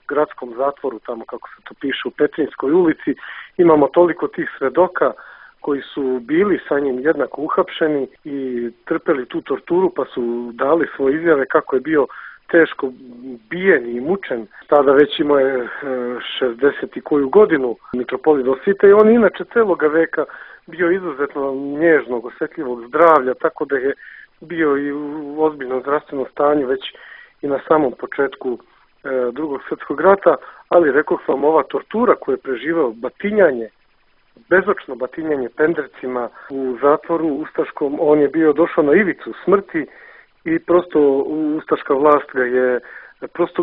gradskom zatvoru, tamo kako se to piše u Petrinjskoj ulici. Imamo toliko tih svedoka koji su bili sa njim jednako uhapšeni i trpeli tu torturu, pa su dali svoje izjave kako je bio teško bijen i mučen. Tada već imao je 60 i koju godinu mitropolit Dositej i on inače celoga veka bio izuzetno nježnog, osjetljivog zdravlja, tako da je bio i u ozbiljnom zdravstvenom stanju već i na samom početku Drugog svjetskog rata, ali rekoh vam, ova tortura koju je preživao, batinjanje, bezočno batinjanje pendrecima u zatvoru ustaškom, on je bio došao na ivicu smrti i prosto ustaška vlast ga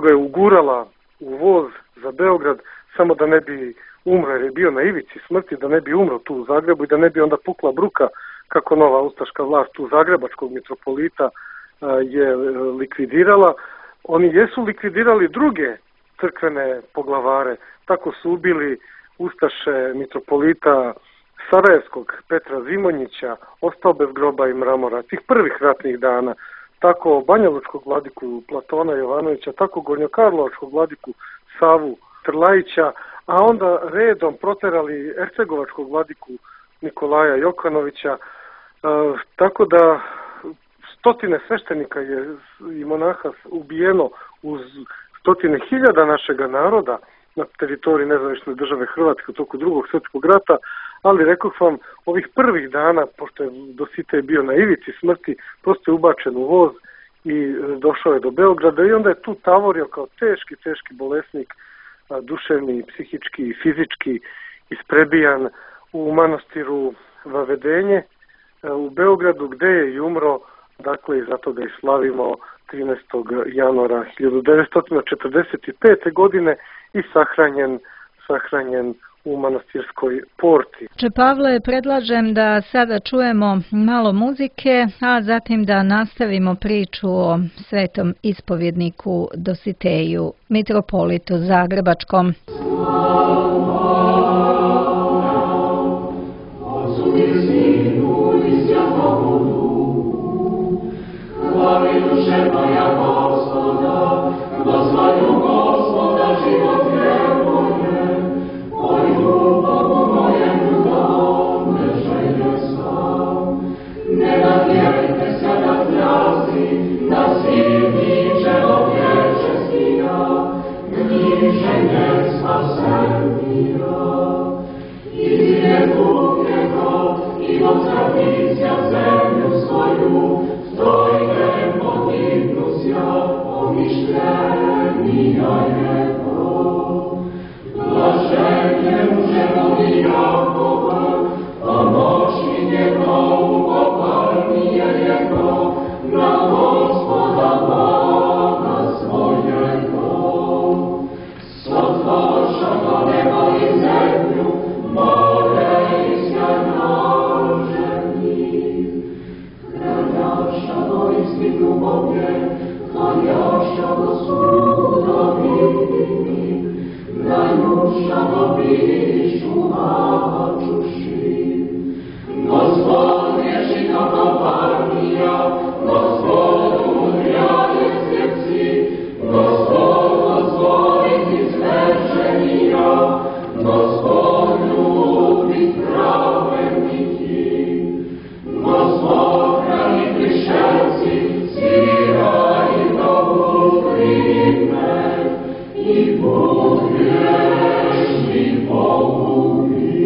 je ugurala u voz za Beograd samo da ne bi umro, jer je bio na ivici smrti, da ne bi umro tu u Zagrebu i da ne bi onda pukla bruka kako nova ustaška vlast tu Zagrebačkog mitropolita je likvidirala. Oni jesu likvidirali druge crkvene poglavare, tako su ubili ustaše mitropolita sarajevskog Petra Zimonjića, ostao bez groba i mramora, tih prvih ratnih dana, tako banjalučkog vladiku Platona Jovanovića, tako gornjokarlovačkog vladiku Savu Trlajića, a onda redom proterali ercegovačkog vladiku Nikolaja Jokanovića, tako da stotine sveštenika je i monaha ubijeno uz stotine hiljada našega naroda na teritoriji nezavisne države Hrvatske u toku Drugog svjetskog rata, ali rekao vam, ovih prvih dana, pošto je Dositej bio na ivici smrti, prosto je ubačen u voz i došao je do Beograda i onda je tu tavorio kao teški bolesnik, duševni, psihički i fizički isprebijan u manastiru Vavedenje u Beogradu, gde je i umro, dakle i zato ga i slavimo 13. januara 1945. godine i sahranjen u manastirskoj porti. Pavle, predlažem da sada čujemo malo muzike, a zatim da nastavimo priču o svetom ispovjedniku Dositeju, mitropolitu Zagrebačkom. Slavi duše moja Gospoda, proslavlju Gospoda život vjeruje, moju Bogu mojemu dom ne želje sam. Ne nadjerite se na trazi, da si ničego vječestina, niže ne spasenija. Izvije Bog njegov i od tradicija zemlju svoju, stojne podignuća pomišljenija jego. Blaženje mužemovi Jakova, pomoći njegov, poparnije jego, na Gospoda Boga svojego. Sotvošava nebo i zemlju, more i sjajnaženih. Hranjašavo istinu Boge, hranjašavo sudovini, najmušavo bišu hačuši. Gospod ježi kako parnija, Gospod umrja je sjeci, Gospod izvešenija, Gospod ljubi pravedniki, Gospod hrani prišelci, svira i dobu prime, i Bog grešni pogubi.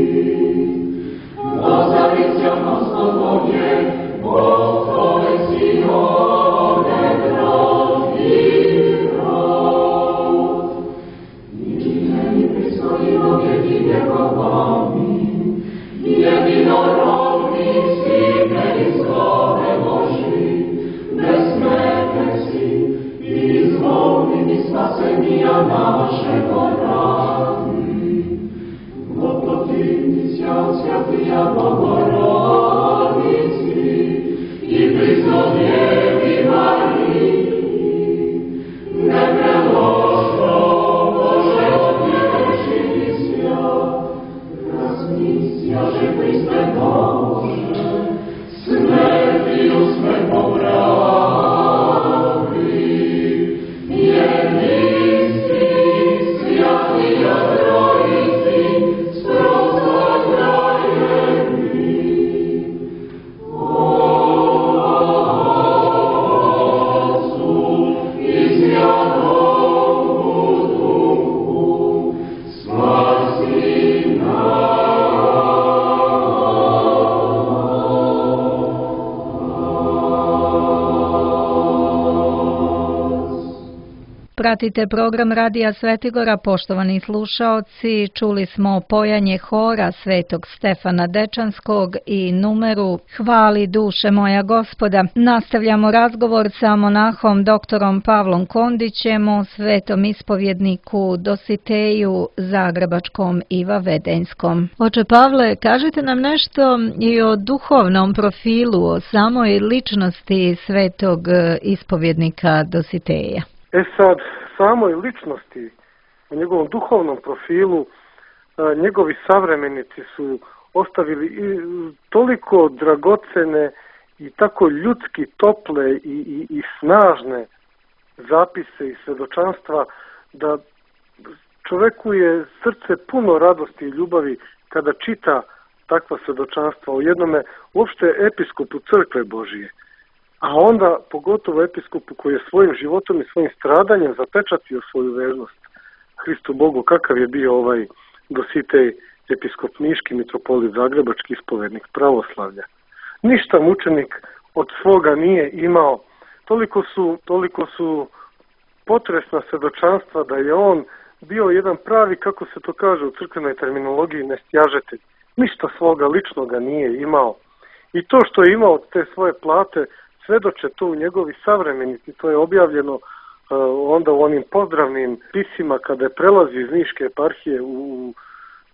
Ozavića Gospod Bog je, Bog tvoj si ode grad i rod. Ničini pristojimo jedine robami, jedinorodni slike iz slove Boži, besmrtne si i izvolni spasenija našego radi. Gototivnića svjatija Bogorodici i priznodjevi Mariji, ne preložno Bože odježi svijat, razmisjaše Hriste Bože, smrti usme popravi, jedinstvi svjati odrojici, sprosto trajeni. Otcu i Svjatomu Duhu, spasi nas. Pratite program Radija Svetigora, poštovani slušaoci. Čuli smo pojanje hora Svetog Stefana Dečanskog i numeru Hvali duše moja Gospoda. Nastavljamo razgovor sa monahom doktorom Pavlom Kondićem o svetom ispovjedniku Dositeju Zagrebačkom i Vavedenjskom. Oče Pavle, kažite nam nešto i o duhovnom profilu, o samoj ličnosti svetog ispovjednika Dositeja. Sad, samoj ličnosti, u njegovom duhovnom profilu, njegovi savremenici su ostavili i toliko dragocene i tako ljudski tople i snažne zapise i svjedočanstva da čoveku je srce puno radosti i ljubavi kada čita takva svjedočanstva o jednome uopšte episkopu crkve Božije. A onda pogotovo episkopu koji je svojim životom i svojim stradanjem zapečatio svoju vernost Hristu Bogu, kakav je bio ovaj Dositej, episkop Niški, mitropolit Zagrebački, ispovednik pravoslavlja. Ništa mučenik od svoga nije imao. Toliko su potresna svjedočanstva da je on bio jedan pravi, kako se to kaže u crkvenoj terminologiji, nestjažitelj. Ništa svoga ličnoga nije imao. I to što je imao od te svoje plate, svedoče to u njegovi savremenici. To je objavljeno onda u onim pozdravnim pisima kada je prelazi iz Niške eparhije u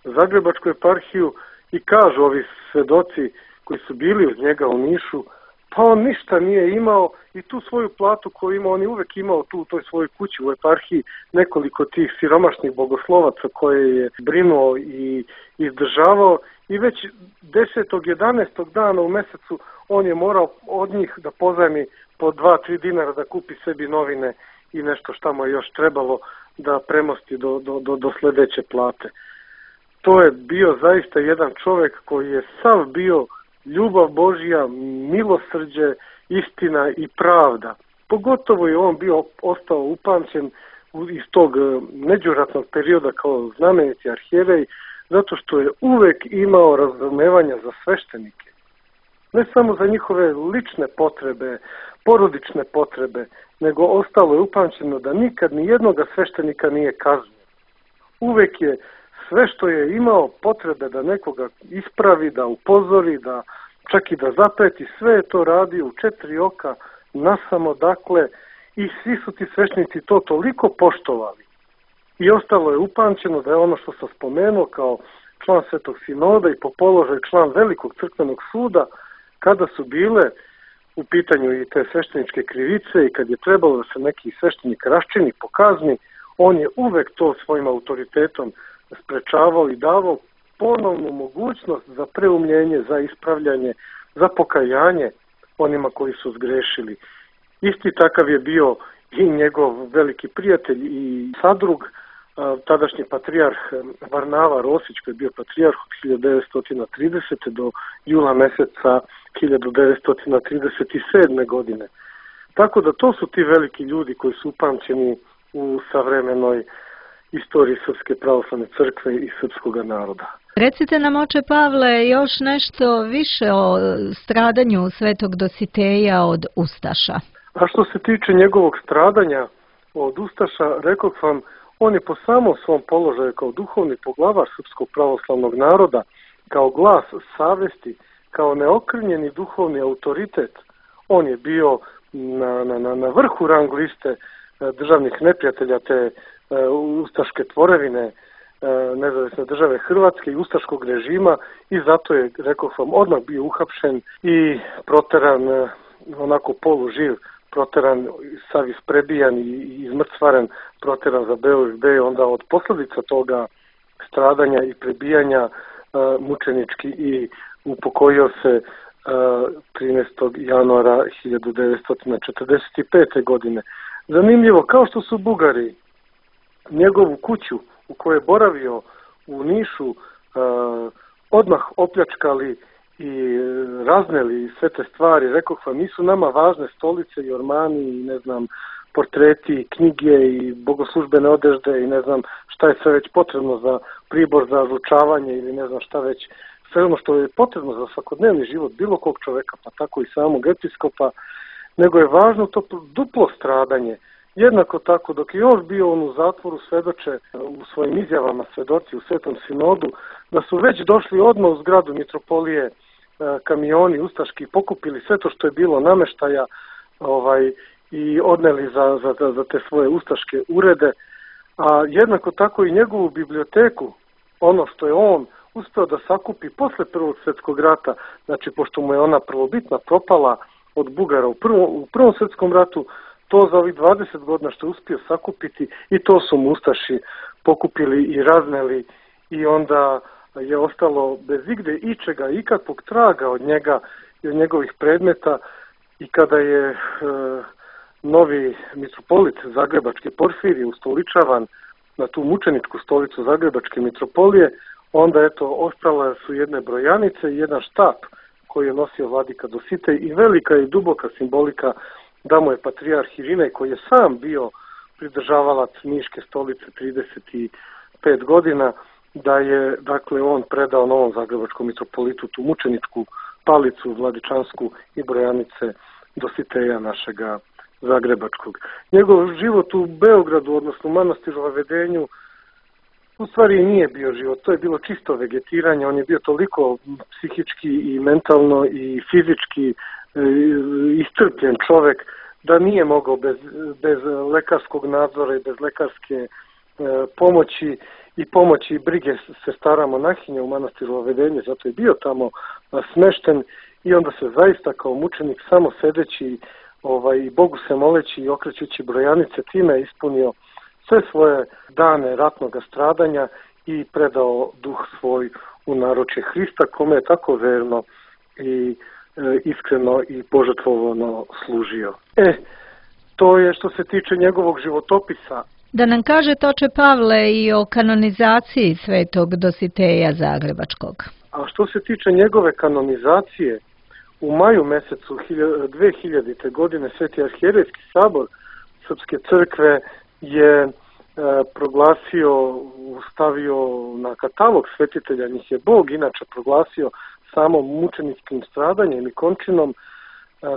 Zagrebačku eparhiju i kažu ovi svedoci koji su bili uz njega u Nišu, pa on ništa nije imao i tu svoju platu koju imao, on je uvek imao tu u toj svojoj kući u eparhiji nekoliko tih siromašnih bogoslovaca koje je brinuo i izdržavao i već 10. 11. dana u mesecu on je morao od njih da pozajmi po 2-3 dinara da kupi sebi novine i nešto šta mu je još trebalo da premosti do sledeće plate. To je bio zaista jedan čovjek koji je sav bio ljubav Božja, milosrđe, istina i pravda. Pogotovo je on bio ostao upamćen iz tog međuratnog perioda kao znameniti arhijerej, zato što je uvek imao razumevanja za sveštenike. Ne samo za njihove lične potrebe, porodične potrebe, nego ostalo je upamćeno da nikad ni jednoga sveštenika nije kaznio. Uvek je sve što je imao potrebe da nekoga ispravi, da upozori, da čak i da zapreti, sve je to radio u 4 oka, nasamo dakle, i svi su ti sveštenici to toliko poštovali. I ostalo je upamćeno da je ono što sam spomenuo kao član Svetog sinoda i po položaju član Velikog crkvenog suda, kada su bile u pitanju i te svešteničke krivice i kad je trebalo da se neki sveštenik raščini po kazni, on je uvek to svojim autoritetom sprečavao i davao ponovnu mogućnost za preumljenje, za ispravljanje, za pokajanje onima koji su zgrešili. Isti takav je bio i njegov veliki prijatelj i sadrug, tadašnji patrijarh Varnava Rosić, koji je bio patrijarh od 1930. do jula meseca 1937. godine. Tako da to su ti veliki ljudi koji su upamćeni u savremenoj istoriji Srpske pravoslavne crkve i srpskog naroda. Recite nam, oče Pavle, još nešto više o stradanju svetog Dositeja od ustaša. A što se tiče njegovog stradanja od ustaša, rekao vam, on je po samom svom položaju kao duhovni poglavar srpskog pravoslavnog naroda, kao glas savesti, kao neokrnjeni duhovni autoritet, on je bio na vrhu rang liste državnih neprijatelja te ustaške tvorevine nezavisne države Hrvatske i ustaškog režima i zato je, rekao sam, odmah bio uhapšen i proteran onako poluživ, proteran, sav isprebijan i izmrcvaren, proteran za BOFB, onda od posljedica toga stradanja i prebijanja mučenički i upokojio se 13. januara 1945. godine. Zanimljivo, kao što su Bugari njegovu kuću u kojoj je boravio u Nišu odmah opljačkali i razneli sve te stvari, rekoh vam, nisu nama važne stolice i ormani i ne znam, portreti, knjige i bogoslužbene odežde i ne znam šta je sve već potrebno za pribor za ručavanje ili ne znam šta već, sve ono što je potrebno za svakodnevni život bilo kog čoveka, pa tako i samog episkopa, nego je važno to duplo stradanje. Jednako tako, dok je još bio on u zatvoru, svedoče u svojim izjavama svedoci u Svetom sinodu, da su već došli odmah u zgradu mitropolije kamioni ustaški, pokupili sve to što je bilo nameštaja i odneli za te svoje ustaške urede, a jednako tako i njegovu biblioteku, ono što je on uspeo da sakupi posle Prvog svjetskog rata, znači pošto mu je ona prvobitna propala od Bugara u Prvom svjetskom ratu, to za ovih 20 godina što je uspio sakupiti i to su mu ustaši pokupili i razneli i onda je ostalo bez igde ičega, ikakvog traga od njega i od njegovih predmeta, i kada je novi mitropolit Zagrebački Porfirije ustoličavan na tu mučeničku stolicu Zagrebačke mitropolije, onda ostala su jedne brojanice i jedan štap koji je nosio vladika Dositej i velika i duboka simbolika da mu je patrijarh Irinej, koji je sam bio pridržavalac Niške stolice 35 godina, da je on predao novom Zagrebačkom mitropolitu tu mučeničku palicu vladičansku i brojanice Dositeja našega Zagrebačkog. Njegov život u Beogradu, odnosno u manastiru Vavedenju, u stvari nije bio život, to je bilo čisto vegetiranje. On je bio toliko psihički i mentalno i fizički iscrpljen čovek da nije mogao bez lekarskog nadzora i bez lekarske pomoći i pomoći i brige sestara monahinja u manastiru Vavedenje, zato je bio tamo smešten i onda se zaista kao mučenik samo sedeći i Bogu se moleći i okrećući brojanice, time je ispunio sve svoje dane ratnog stradanja i predao duh svoj u naručje Hrista, kome je tako verno i iskreno i požrtvovano služio. To je što se tiče njegovog životopisa. Da nam kažete, oče Pavle, i o kanonizaciji svetog Dositeja Zagrebačkog. A što se tiče njegove kanonizacije, u maju mesecu 2000. godine Sveti arhijerejski sabor Srpske crkve je stavio na katalog svetitelja, njih je Bog inače proglasio samo mučeničkim stradanjem i končinom.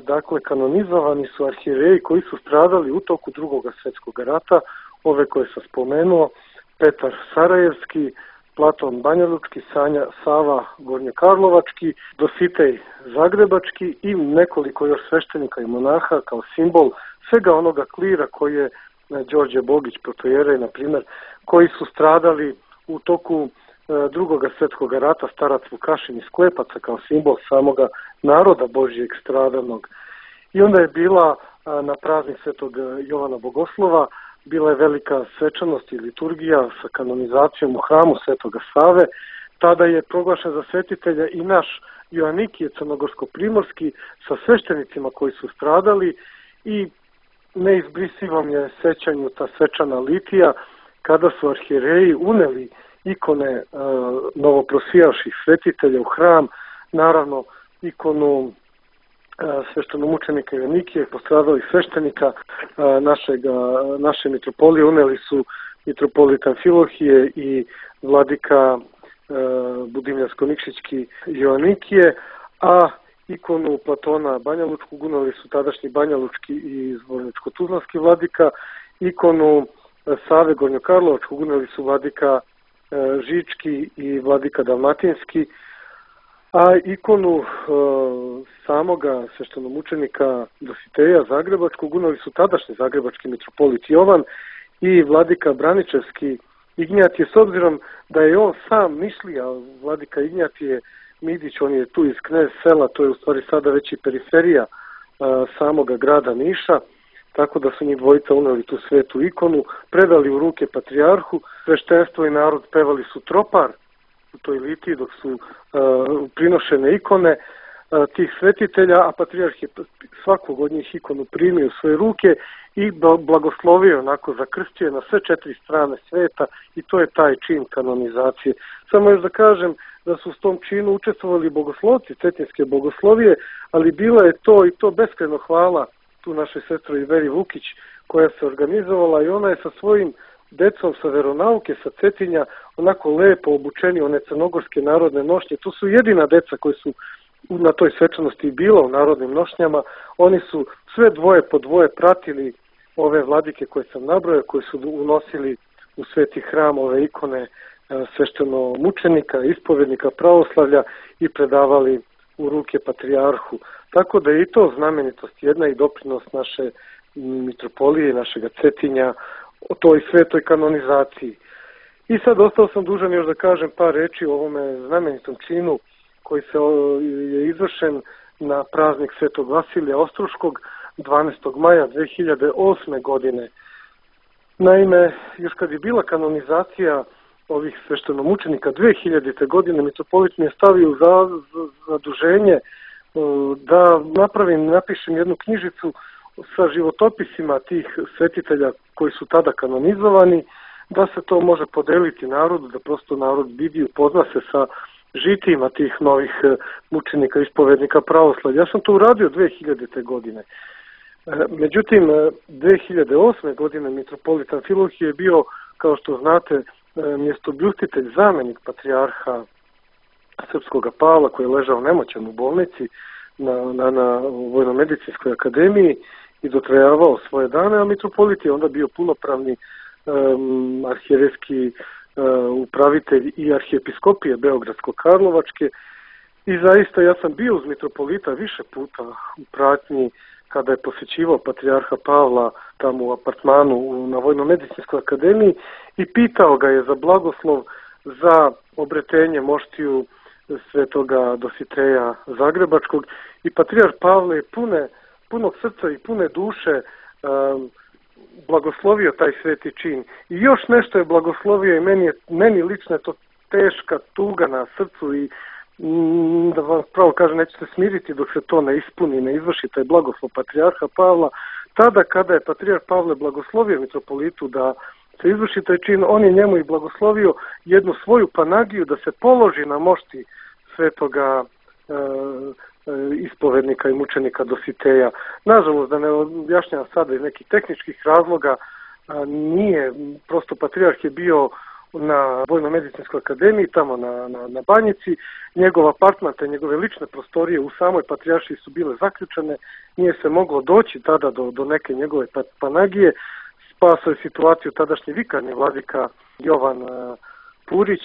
Dakle, kanonizovani su arhijereji koji su stradali u toku Drugog svjetskog rata, ove koje sam spomenuo: Petar Sarajevski, Platon Banjalučki, Sava Gornjokarlovački, Dositej Zagrebački i nekoliko još sveštenika i monaha kao simbol svega onoga klira koji je Đorđe Bogić, protojerej, na primjer, koji su stradali u toku Drugog svjetskog rata, starac Vukašin iz Klepaca kao simbol samoga naroda Božijeg stradanog. I onda je bila na praznik Svetog Jovana Bogoslova, bila je velika svečanost i liturgija sa kanonizacijom u hramu Svetoga Save. Tada je proglašen za svetitelja i naš Joanikije crnogorsko-primorski sa sveštenicima koji su stradali i neizbrisivom je sećanju ta svečana litija kada su arhijereji uneli ikone novoprosijavših svetitelja u hram, naravno ikonu sveštenomučenika Joanikije, postradalih sveštenika naše mitropolije uneli su mitropolit Amfilohije i vladika Budimljansko-Nikšićki Joanikije, a ikonu Platona Banjalučkog uneli su tadašnji Banjalučki i Zvorničko-Tuzlanski vladika, ikonu Save Gornjokarlovačkog uneli su vladika Žički i vladika Dalmatinski, a ikonu samoga sveštenomučenika Dositeja Zagrebačkog uneli su tadašnji zagrebački mitropolit Jovan i vladika Braničevski Ignjatije, s obzirom da je on sam Nišlija. Vladika Ignjatije Midić, on je tu iz Knez sela, to je u stvari sada već i periferija samoga grada Niša, tako da su njih dvojica uneli tu svetu ikonu, predali u ruke patrijarhu, sveštenstvo i narod pevali su tropar u toj litiji dok su prinošene ikone tih svetitelja, a patrijarh je svakog od njih ikonu primio u svoje ruke i blagoslovio, onako zakrstio na sve 4 strane sveta, i to je taj čin kanonizacije. Samo još da kažem da su s tom činu učestvovali bogoslovci Cetinske bogoslovije, ali bila je to i to beskrajno hvala tu našoj sestri Veri Vukić koja se organizovala, i ona je sa svojim decom sa veronauke sa Cetinja onako lepo obučeni one crnogorske narodne nošnje. To su jedina deca koji su na toj svečanosti bila u narodnim nošnjama. Oni su sve dvoje po dvoje pratili ove vladike koje sam nabrojao, koji su unosili u sveti hram ove ikone svešteno mučenika, ispovednika pravoslavlja i predavali u ruke patrijarhu. Tako da je i to znamenitost jedna i doprinos naše mitropolije, našega Cetinja o toj svetoj kanonizaciji. I sad ostao sam dužan još da kažem par reči o ovome znamenitom činu koji je izvršen na praznik Svetog Vasilija Ostroškog 12. maja 2008. godine. Naime, još kad je bila kanonizacija ovih sveštenomučenika 2000. godine mitropolit mi je stavio za zaduženje da napišem jednu knjižicu sa životopisima tih svetitelja koji su tada kanonizovani, da se to može podeliti narodu, da prosto narod vidi, upozna se sa žitijima tih novih mučenika, ispovednika pravoslavlja. Ja sam to uradio 2000. godine. Međutim, 2008. godine mitropolitan Amfilohije je bio, kao što znate, mjestobljustitelj, zamenik patrijarha Srpskoga Pavla, koji je ležao nemoćan u bolnici na Vojnomedicinskoj akademiji i dotrajavao svoje dane, a mitropolit je onda bio punopravni arhijerejski upravitelj i arhijepiskopije Beogradsko-Karlovačke i zaista ja sam bio uz mitropolita više puta u pratnji kada je posjećivao patrijarha Pavla tamo u apartmanu na Vojnomedicinskoj akademiji i pitao ga je za blagoslov za obretenje moštiju svetoga Dositeja Zagrebačkog i patrijarh Pavle je punog srca i pune duše blagoslovio taj sveti čin. I još nešto je blagoslovio i meni lično je to teška tuga na srcu i da vam pravo kažem, neću se smiriti dok se to ne ispuni, ne izvrši taj blagoslov patrijarha Pavla. Tada kada je patrijarh Pavle blagoslovio mitropolitu da se izvrši taj čin, on je njemu i blagoslovio jednu svoju panagiju da se položi na mošti svetoga ispovednika i mučenika Dositeja. Nažalost, da ne objašnjam sada iz nekih tehničkih razloga, nije, prosto patrijarh je bio na Vojnomedicinskoj akademiji, tamo na Banjici, njegov apartman, te njegove lične prostorije u samoj patrijaršiji su bile zaključene, nije se moglo doći tada do neke njegove panagije, spasao je situaciju tadašnji vikarni vladika Jovan Purić,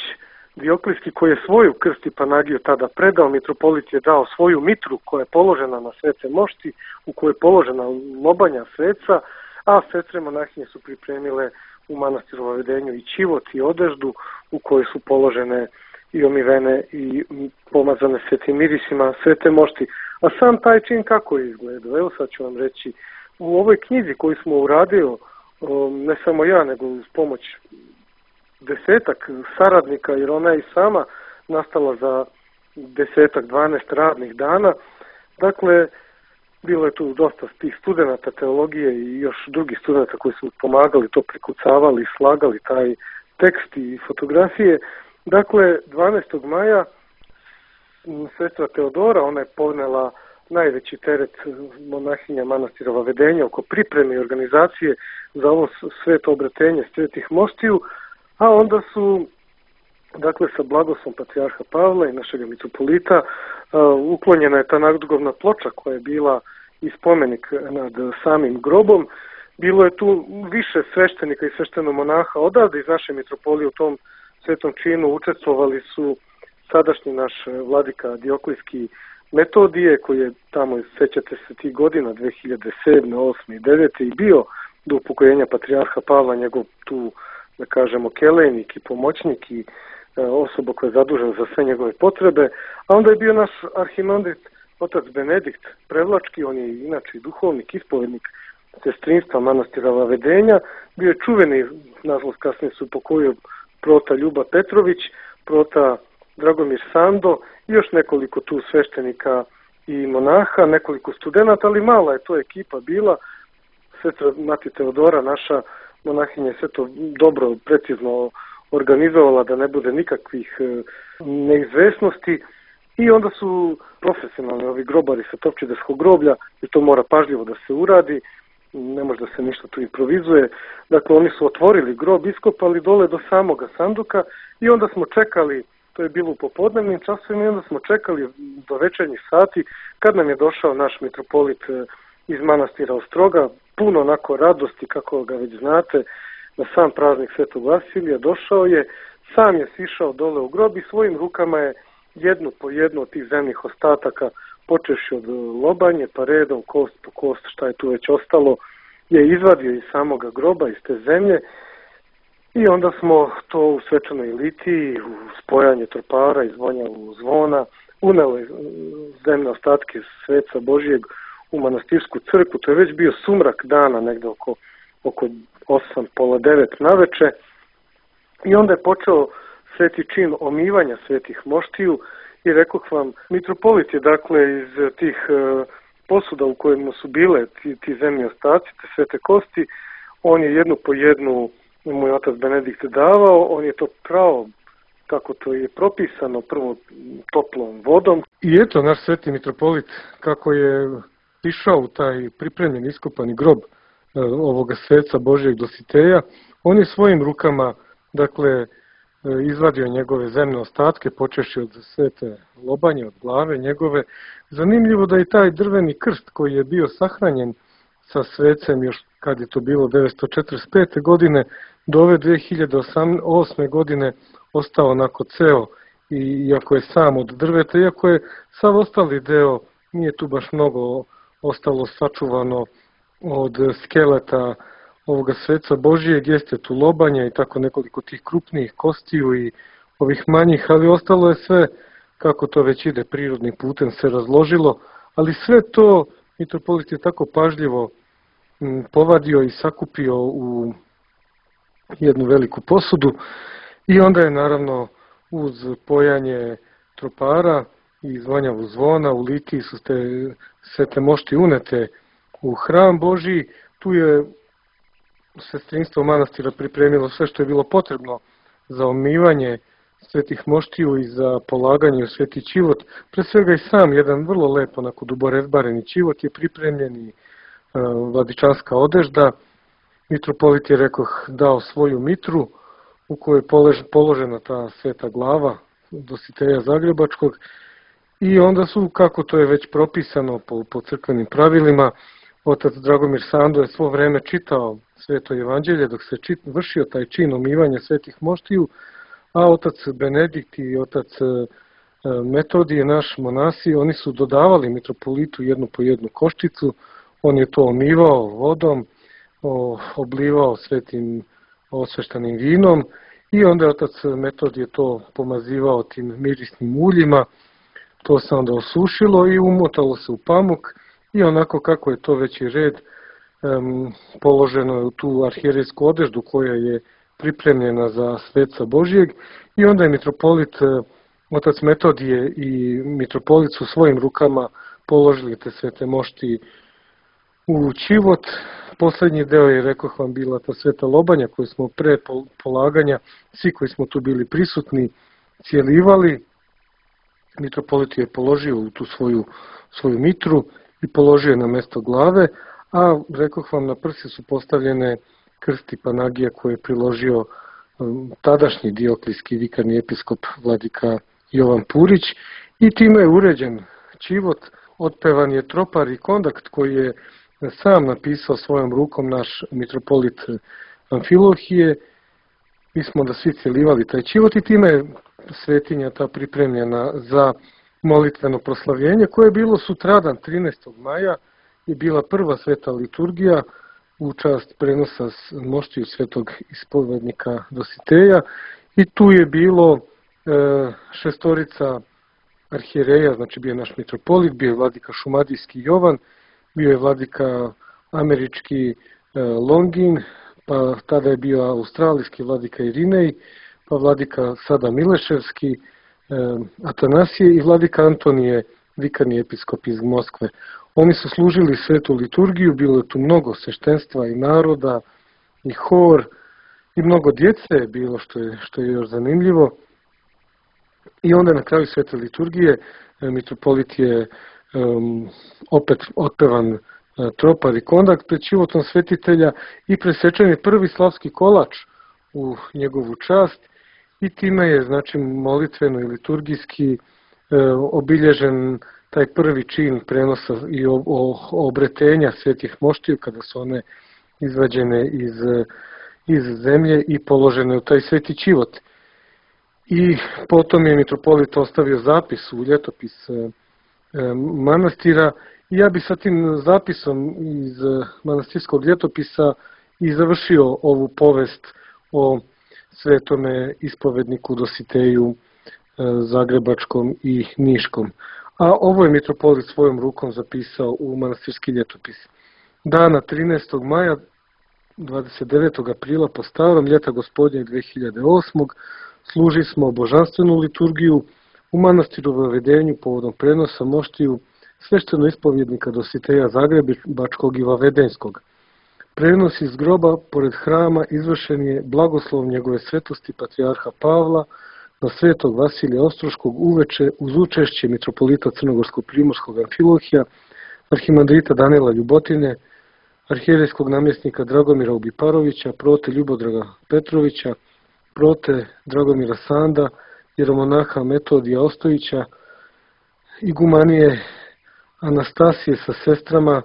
Dioklijski, koji je svoju krst i panagiju tada predao, mitropolit je dao svoju mitru koja je položena na svece mošti, u kojoj je položena lobanja sveca, a sestre monahinje su pripremile u manastiru Vavedenju i čivot i odeždu u kojoj su položene i omivene i pomazane svetim mirisima svete mošti. A sam taj čin kako je izgledao? Evo sad ću vam reći. U ovoj knjizi koju smo uradili, ne samo ja, nego uz pomoć desetak saradnika, jer ona je i sama nastala za 10-12 radnih dana. Dakle, bilo je tu dosta tih studenata teologije i još drugih studenta koji su pomagali, to prikucavali, slagali taj tekst i fotografije. Dakle, 12. maja sestra Teodora, ona je ponela najveći teret monahinja manastira Vavedenja oko pripreme i organizacije za ovo sveto obretenje svetih moštiju, a onda su, dakle, sa blagoslovom patrijarha Pavla i našeg mitropolita uklonjena je ta nadgrobna ploča koja je bila i spomenik nad samim grobom. Bilo je tu više sveštenika i sveštenomonaha odavde iz naše mitropolije u tom svetom činu. Učestvovali su sadašnji naš vladika Dioklijski Metodije, koji je tamo, sećate se tih godina, 2007. 8. i 9. i bio do upokojenja patrijarha Pavla, njegov tu, da kažemo, kelejnik i pomoćnik i osoba koja je zadužena za sve njegove potrebe. A onda je bio naš arhimandrit otac Benedikt Prevlački, on je inače duhovnik, ispovednik sestrinstva manastira Vavedenja, bio je čuveni, nažalost kasnije se upokojio, prota Ljuba Petrović, prota Dragomir Sando i još nekoliko tu sveštenika i monaha, nekoliko studenata, ali mala je to ekipa bila. Sestra Mati Teodora, naša monahinja, sve to dobro, precizno organizovala da ne bude nikakvih neizvesnosti. I onda su profesionalni ovi grobari sa Topčiderskog groblja, i to mora pažljivo da se uradi, ne može da se ništa tu improvizuje. Dakle, oni su otvorili grob, iskopali dole do samoga sanduka i onda smo čekali, to je bilo u popodnevnim časovima, i onda smo čekali do večernjih sati kad nam je došao naš mitropolit iz manastira Ostroga, puno onako radosti, kako ga već znate, na sam praznik Svetog Vasilija. Došao je, sam je sišao dole u grob i svojim rukama je jednu po jednu od tih zemnih ostataka, počevši od lobanje, pa redom, kost po kost, šta je tu već ostalo, je izvadio iz samoga groba, iz te zemlje. I onda smo to u svečanoj litiji, u spojanje tropara i zvonjavu zvona, uneli zemne ostatke sveca Božijeg u manastirsku crkvu. To je već bio sumrak dana, negde oko 8, pola 9 naveče. I onda je počeo sveti čin omivanja svetih moštiju i rekoh vam, mitropolit je dakle iz tih posuda u kojima su bile ti zemlji ostaci, te svete kosti, on je jednu po jednu, moj otac Benedikt davao, on je to prao kako to je propisano, prvo toplom vodom. I eto naš sveti mitropolit kako je išao u taj pripremljen iskopani grob ovoga sveca Božijeg Dositeja, on je svojim rukama, dakle, izvadio njegove zemne ostatke, počevši od svete lobanje, od glave njegove. Zanimljivo da je taj drveni krst koji je bio sahranjen sa svecem još kad je to bilo 945. godine do ove 2008. godine ostao onako ceo, iako je sam od drveta, iako je sav ostali deo, nije tu baš mnogo ostalo sačuvano od skeleta ovoga sveca Božijeg, jeste tu lobanja i tako nekoliko tih krupnijih kostiju i ovih manjih, ali ostalo je sve, kako to već ide prirodnim putem, se razložilo, ali sve to mitropolit je tako pažljivo povadio i sakupio u jednu veliku posudu i onda je naravno uz pojanje tropara i zvonjavu zvona u litiji su sve te mošti unete u hram Božiji. Tu je sestrinstvo manastira pripremilo sve što je bilo potrebno za omivanje svetih moštiju i za polaganje u sveti čivot. Pre svega i sam jedan vrlo lep, onako duborezbareni čivot je pripremljen i vladičanska odežda. Mitropolit je, rekoh, dao svoju mitru u kojoj je položena ta sveta glava Dositeja Zagrebačkog i onda su, kako to je već propisano po crkvenim pravilima, otac Dragomir Sando je svo vreme čitao sveto evanđelje dok se vršio taj čin omivanja svetih moštiju, a otac Benedikt i otac Metodije, naš monasi, oni su dodavali mitropolitu jednu po jednu koščicu, on je to omivao vodom, oblivao svetim osveštanim vinom i onda je otac Metodije to pomazivao tim mirisnim uljima, to se onda osušilo i umotalo se u pamuk i onako kako je to veći red, položeno je u tu arhijerejsku odeždu koja je pripremljena za sveca Božijeg i onda je mitropolit, otac Metodije i mitropolit su svojim rukama položili te svete mošti u čivot. Poslednji deo je, rekoh vam, bila ta sveta lobanja koju smo pre polaganja, svi koji smo tu bili prisutni, cijelivali. Mitropolit je položio u tu svoju mitru i položio na mesto glave, a rekoh vam, na prsi su postavljene krsti Panagija koje je priložio tadašnji dioklijski vikarni episkop vladika Jovan Purić i time je uređen čivot. Otpevan je tropar i kondakt koji je sam napisao svojom rukom naš mitropolit Amfilohije. Mi smo da svi cijelivali taj čivot i time je svetinja ta pripremljena za molitveno proslavljenje koje je bilo sutradan 13. maja i bila prva sveta liturgija u čast prenosa moštiju svetog ispovednika Dositeja i tu je bilo šestorica arhijereja, znači bio je naš mitropolit, bio je vladika šumadijski Jovan, bio je vladika američki Longin, pa tada je bio australijski vladika Irinej, pa vladika sada Mileševski Atanasije i vladika Antonije, vikarni episkop iz Moskve. Oni su služili svetu liturgiju, bilo je tu mnogo sveštenstva i naroda, i hor, i mnogo djece je bilo, što je još zanimljivo. I onda na kraju svete liturgije mitropolit je opet otpevan tropar i kondakt pred životom svetitelja i presečen je prvi slavski kolač u njegovu čast i time je, znači, molitveno i liturgijski obilježen taj prvi čin prenosa i obretenja svetih moštiju kada su one izvađene iz zemlje i položene u taj sveti čivot. I potom je mitropolit ostavio zapis u ljetopis manastira i ja bi sa tim zapisom iz manastirskog ljetopisa i završio ovu povest o svetome ispovedniku Dositeju Zagrebačkom i Niškom. A ovo je mitropolit svojom rukom zapisao u manastirski ljetopis. Dana 13. maja 29. aprila po starom ljeta gospodnjeg 2008. služi smo božanstvenu liturgiju u manastiru Vavedenju povodom prenosa moštiju svešteno ispovjednika Dositeja Zagrebačkog i Vavedenskog. Prenos iz groba pored hrama izvršen je blagoslov njegove svetosti patrijarha Pavla na svetog Vasilija Ostroškog uveče uz učešće mitropolita Crnogorsko-primorskog Amfilohija, arhimandrita Danila Ljubotine, arhijerejskog namjesnika Dragomira Ubiparovića, prote Ljubodraga Petrovića, prote Dragomira Sanda, jeromonaha Metodija Ostojića, igumanije Anastasije sa sestrama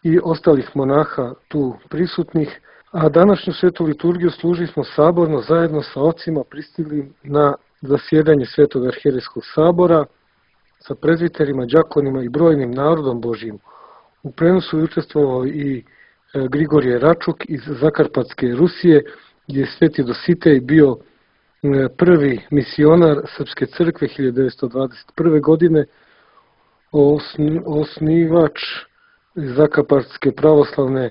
i ostalih monaha tu prisutnih, a današnju svetu liturgiju služili smo saborno zajedno sa ocima pristigli na zasjedanje Svetog arhijerejskog sabora sa prezviterima, đakonima i brojnim narodom Božijim. U prenosu je učestvovao i Grigorije Račuk iz Zakarpatske Rusije, gdje je Sveti Dositej bio prvi misionar Srpske crkve 1921. godine, osnivač Zakarpatske pravoslavne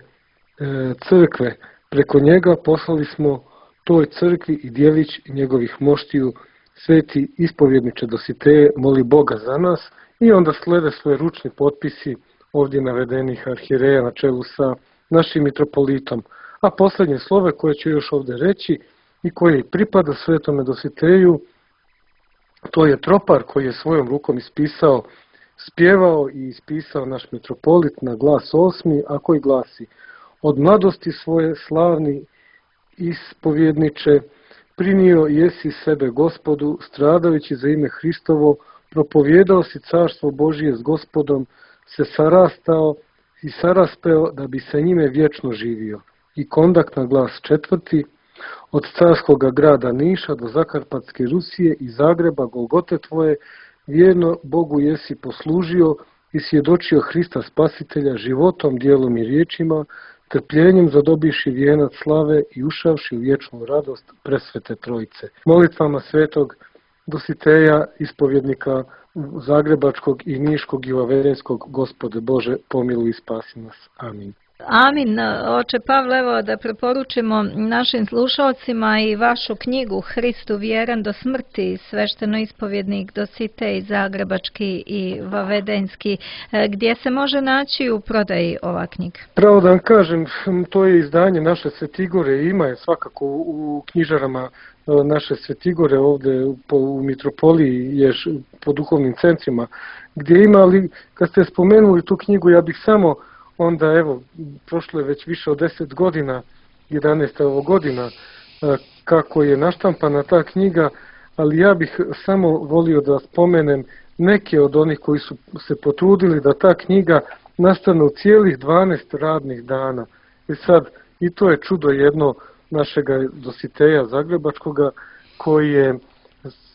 crkve. Preko njega poslali smo toj crkvi i djelić njegovih moštiju: Sveti ispovjedniče Dositeje, moli Boga za nas. I onda slede svoje ručni potpisi ovdje navedenih arhijereja na čelu sa našim mitropolitom. A posljednje slove koje ću još ovdje reći i koje pripada Svetome Dositeju, to je tropar koji je svojom rukom ispisao, spjevao i ispisao naš mitropolit na glas 8, a koji glasi: od mladosti svoje slavni ispovjedniče, prinio jesi sebe Gospodu, stradajući za ime Hristovo, propovjedao si carstvo Božije s Gospodom, se sarastao i saraspeo da bi se njime vječno živio. I kondak na glas 4, od carskoga grada Niša do Zakarpatske Rusije i Zagreba, Golgote tvoje, vjerno Bogu jesi poslužio i svjedočio Hrista Spasitelja životom, djelom i riječima, trpljenjem zadobiši vijenac slave i ušavši u vječnu radost presvete Trojice. Molitvama Svetog Dositeja, ispovjednika Zagrebačkog i Niškog i Vavedenskog, Gospode Bože, pomiluj i spasi nas. Amin. Amin. Oče Pavle, evo da preporučimo našim slušalcima i vašu knjigu Hristu vjeran do smrti, svešteno ispovjednik Dositej Zagrebački i Vavedenski, gdje se može naći u prodaji ova knjiga? Pravo da vam kažem, to je izdanje naše Svetigore, ima je svakako u knjižarama naše Svetigore ovdje u mitropoliji, je po duhovnim centrima gdje ima, ali kad ste spomenuli tu knjigu, ja bih samo onda, evo, prošlo je već više od 10 godina, 11 godina, kako je naštampana ta knjiga, ali ja bih samo volio da spomenem neke od onih koji su se potrudili da ta knjiga nastane u cijelih 12 radnih dana. I sad, i to je čudo jedno našega Dositeja Zagrebačkoga, koji je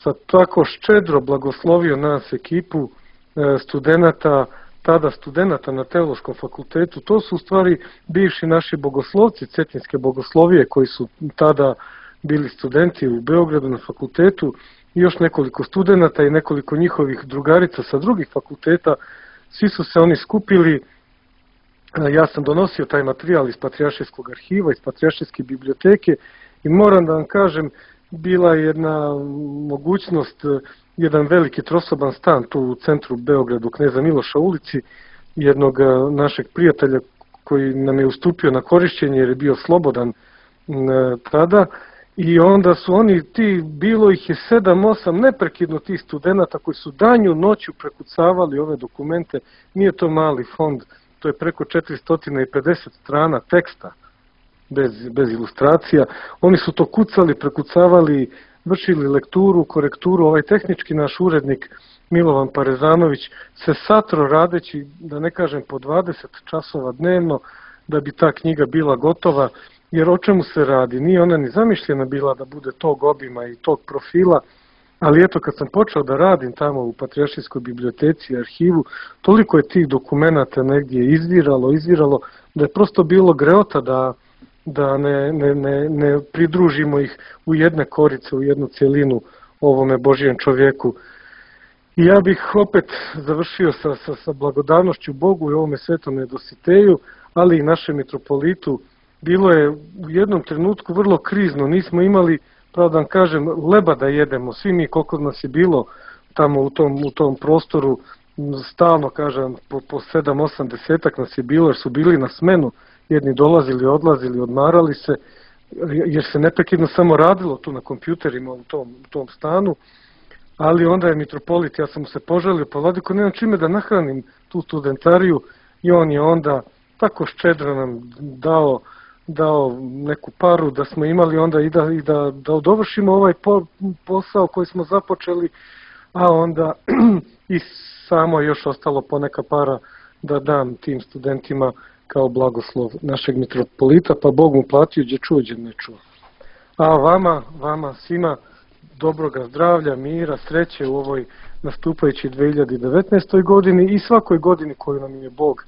sa tako ščedro blagoslovio nas ekipu studenata, tada studenata na Teološkom fakultetu. To su u stvari bivši naši bogoslovci Cetinske bogoslovije koji su tada bili studenti u Beogradu na fakultetu i još nekoliko studenata i nekoliko njihovih drugarica sa drugih fakulteta. Svi su se oni skupili. Ja sam donosio taj materijal iz Patrijaršijskog arhiva, iz Patrijaršijske biblioteke i moram da vam kažem, bila je jedna mogućnost, jedan veliki trosoban stan tu u centru Beogradu, Kneza Miloša ulici, jednog našeg prijatelja koji nam je ustupio na korišćenje jer je bio slobodan tada. I onda su oni, bilo ih je 7-8 neprekidno tih studenata koji su danju noću prekucavali ove dokumente. Nije to mali fond, to je preko 450 strana teksta, bez ilustracija. Oni su to kucali, prekucavali, vršili lekturu, korekturu. Ovaj tehnički naš urednik Milovan Parezanović se satro radeći, da ne kažem po 20 časova dnevno, da bi ta knjiga bila gotova. Jer o čemu se radi? Nije ona ni zamišljena bila da bude tog obima i tog profila, ali eto kad sam počeo da radim tamo u Patrijaršijskoj biblioteci i arhivu, toliko je tih dokumenata negdje izviralo, da je prosto bilo greota da ne pridružimo ih u jedne korice, u jednu cjelinu ovome Božijem čovjeku. I ja bih opet završio sa blagodavnošću Bogu i ovome Svetome Dositeju, ali i našem mitropolitu bilo je u jednom trenutku vrlo krizno, nismo imali, pravo da vam kažem, leba da jedemo, svi mi koliko nas je bilo tamo u tom prostoru, stalno kažem, po 7-8 desetak nas je bilo, jer su bili na smenu, jedni dolazili, odlazili, odmarali se, jer se neprekidno samo radilo tu na kompjuterima u tom stanu, ali onda je mitropolit, ja sam mu se poželio, pa vladiko, nemam čime da nahranim tu studentariju, i on je onda tako ščedro nam dao neku paru da smo imali onda i da dovršimo ovaj posao koji smo započeli, a onda i samo još ostalo poneka para da dam tim studentima kao blagoslov našeg mitropolita, pa Bog mu platio gdje čuo, gdje ne čuo. A vama svima dobroga zdravlja, mira, sreće u ovoj nastupajući 2019. godini i svakoj godini koju nam je Bog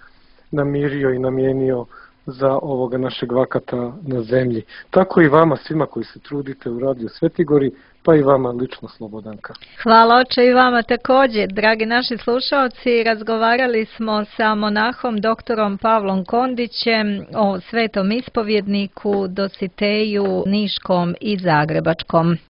namirio i namijenio za ovoga našeg vakata na zemlji. Tako i vama svima koji se trudite u Radio Svetigori, pa i vama lično, Slobodanka. Hvala oče i vama također. Dragi naši slušalci, razgovarali smo sa monahom doktorom Pavlom Kondićem o svetom ispovjedniku, Dositeju Niškom i Zagrebačkom.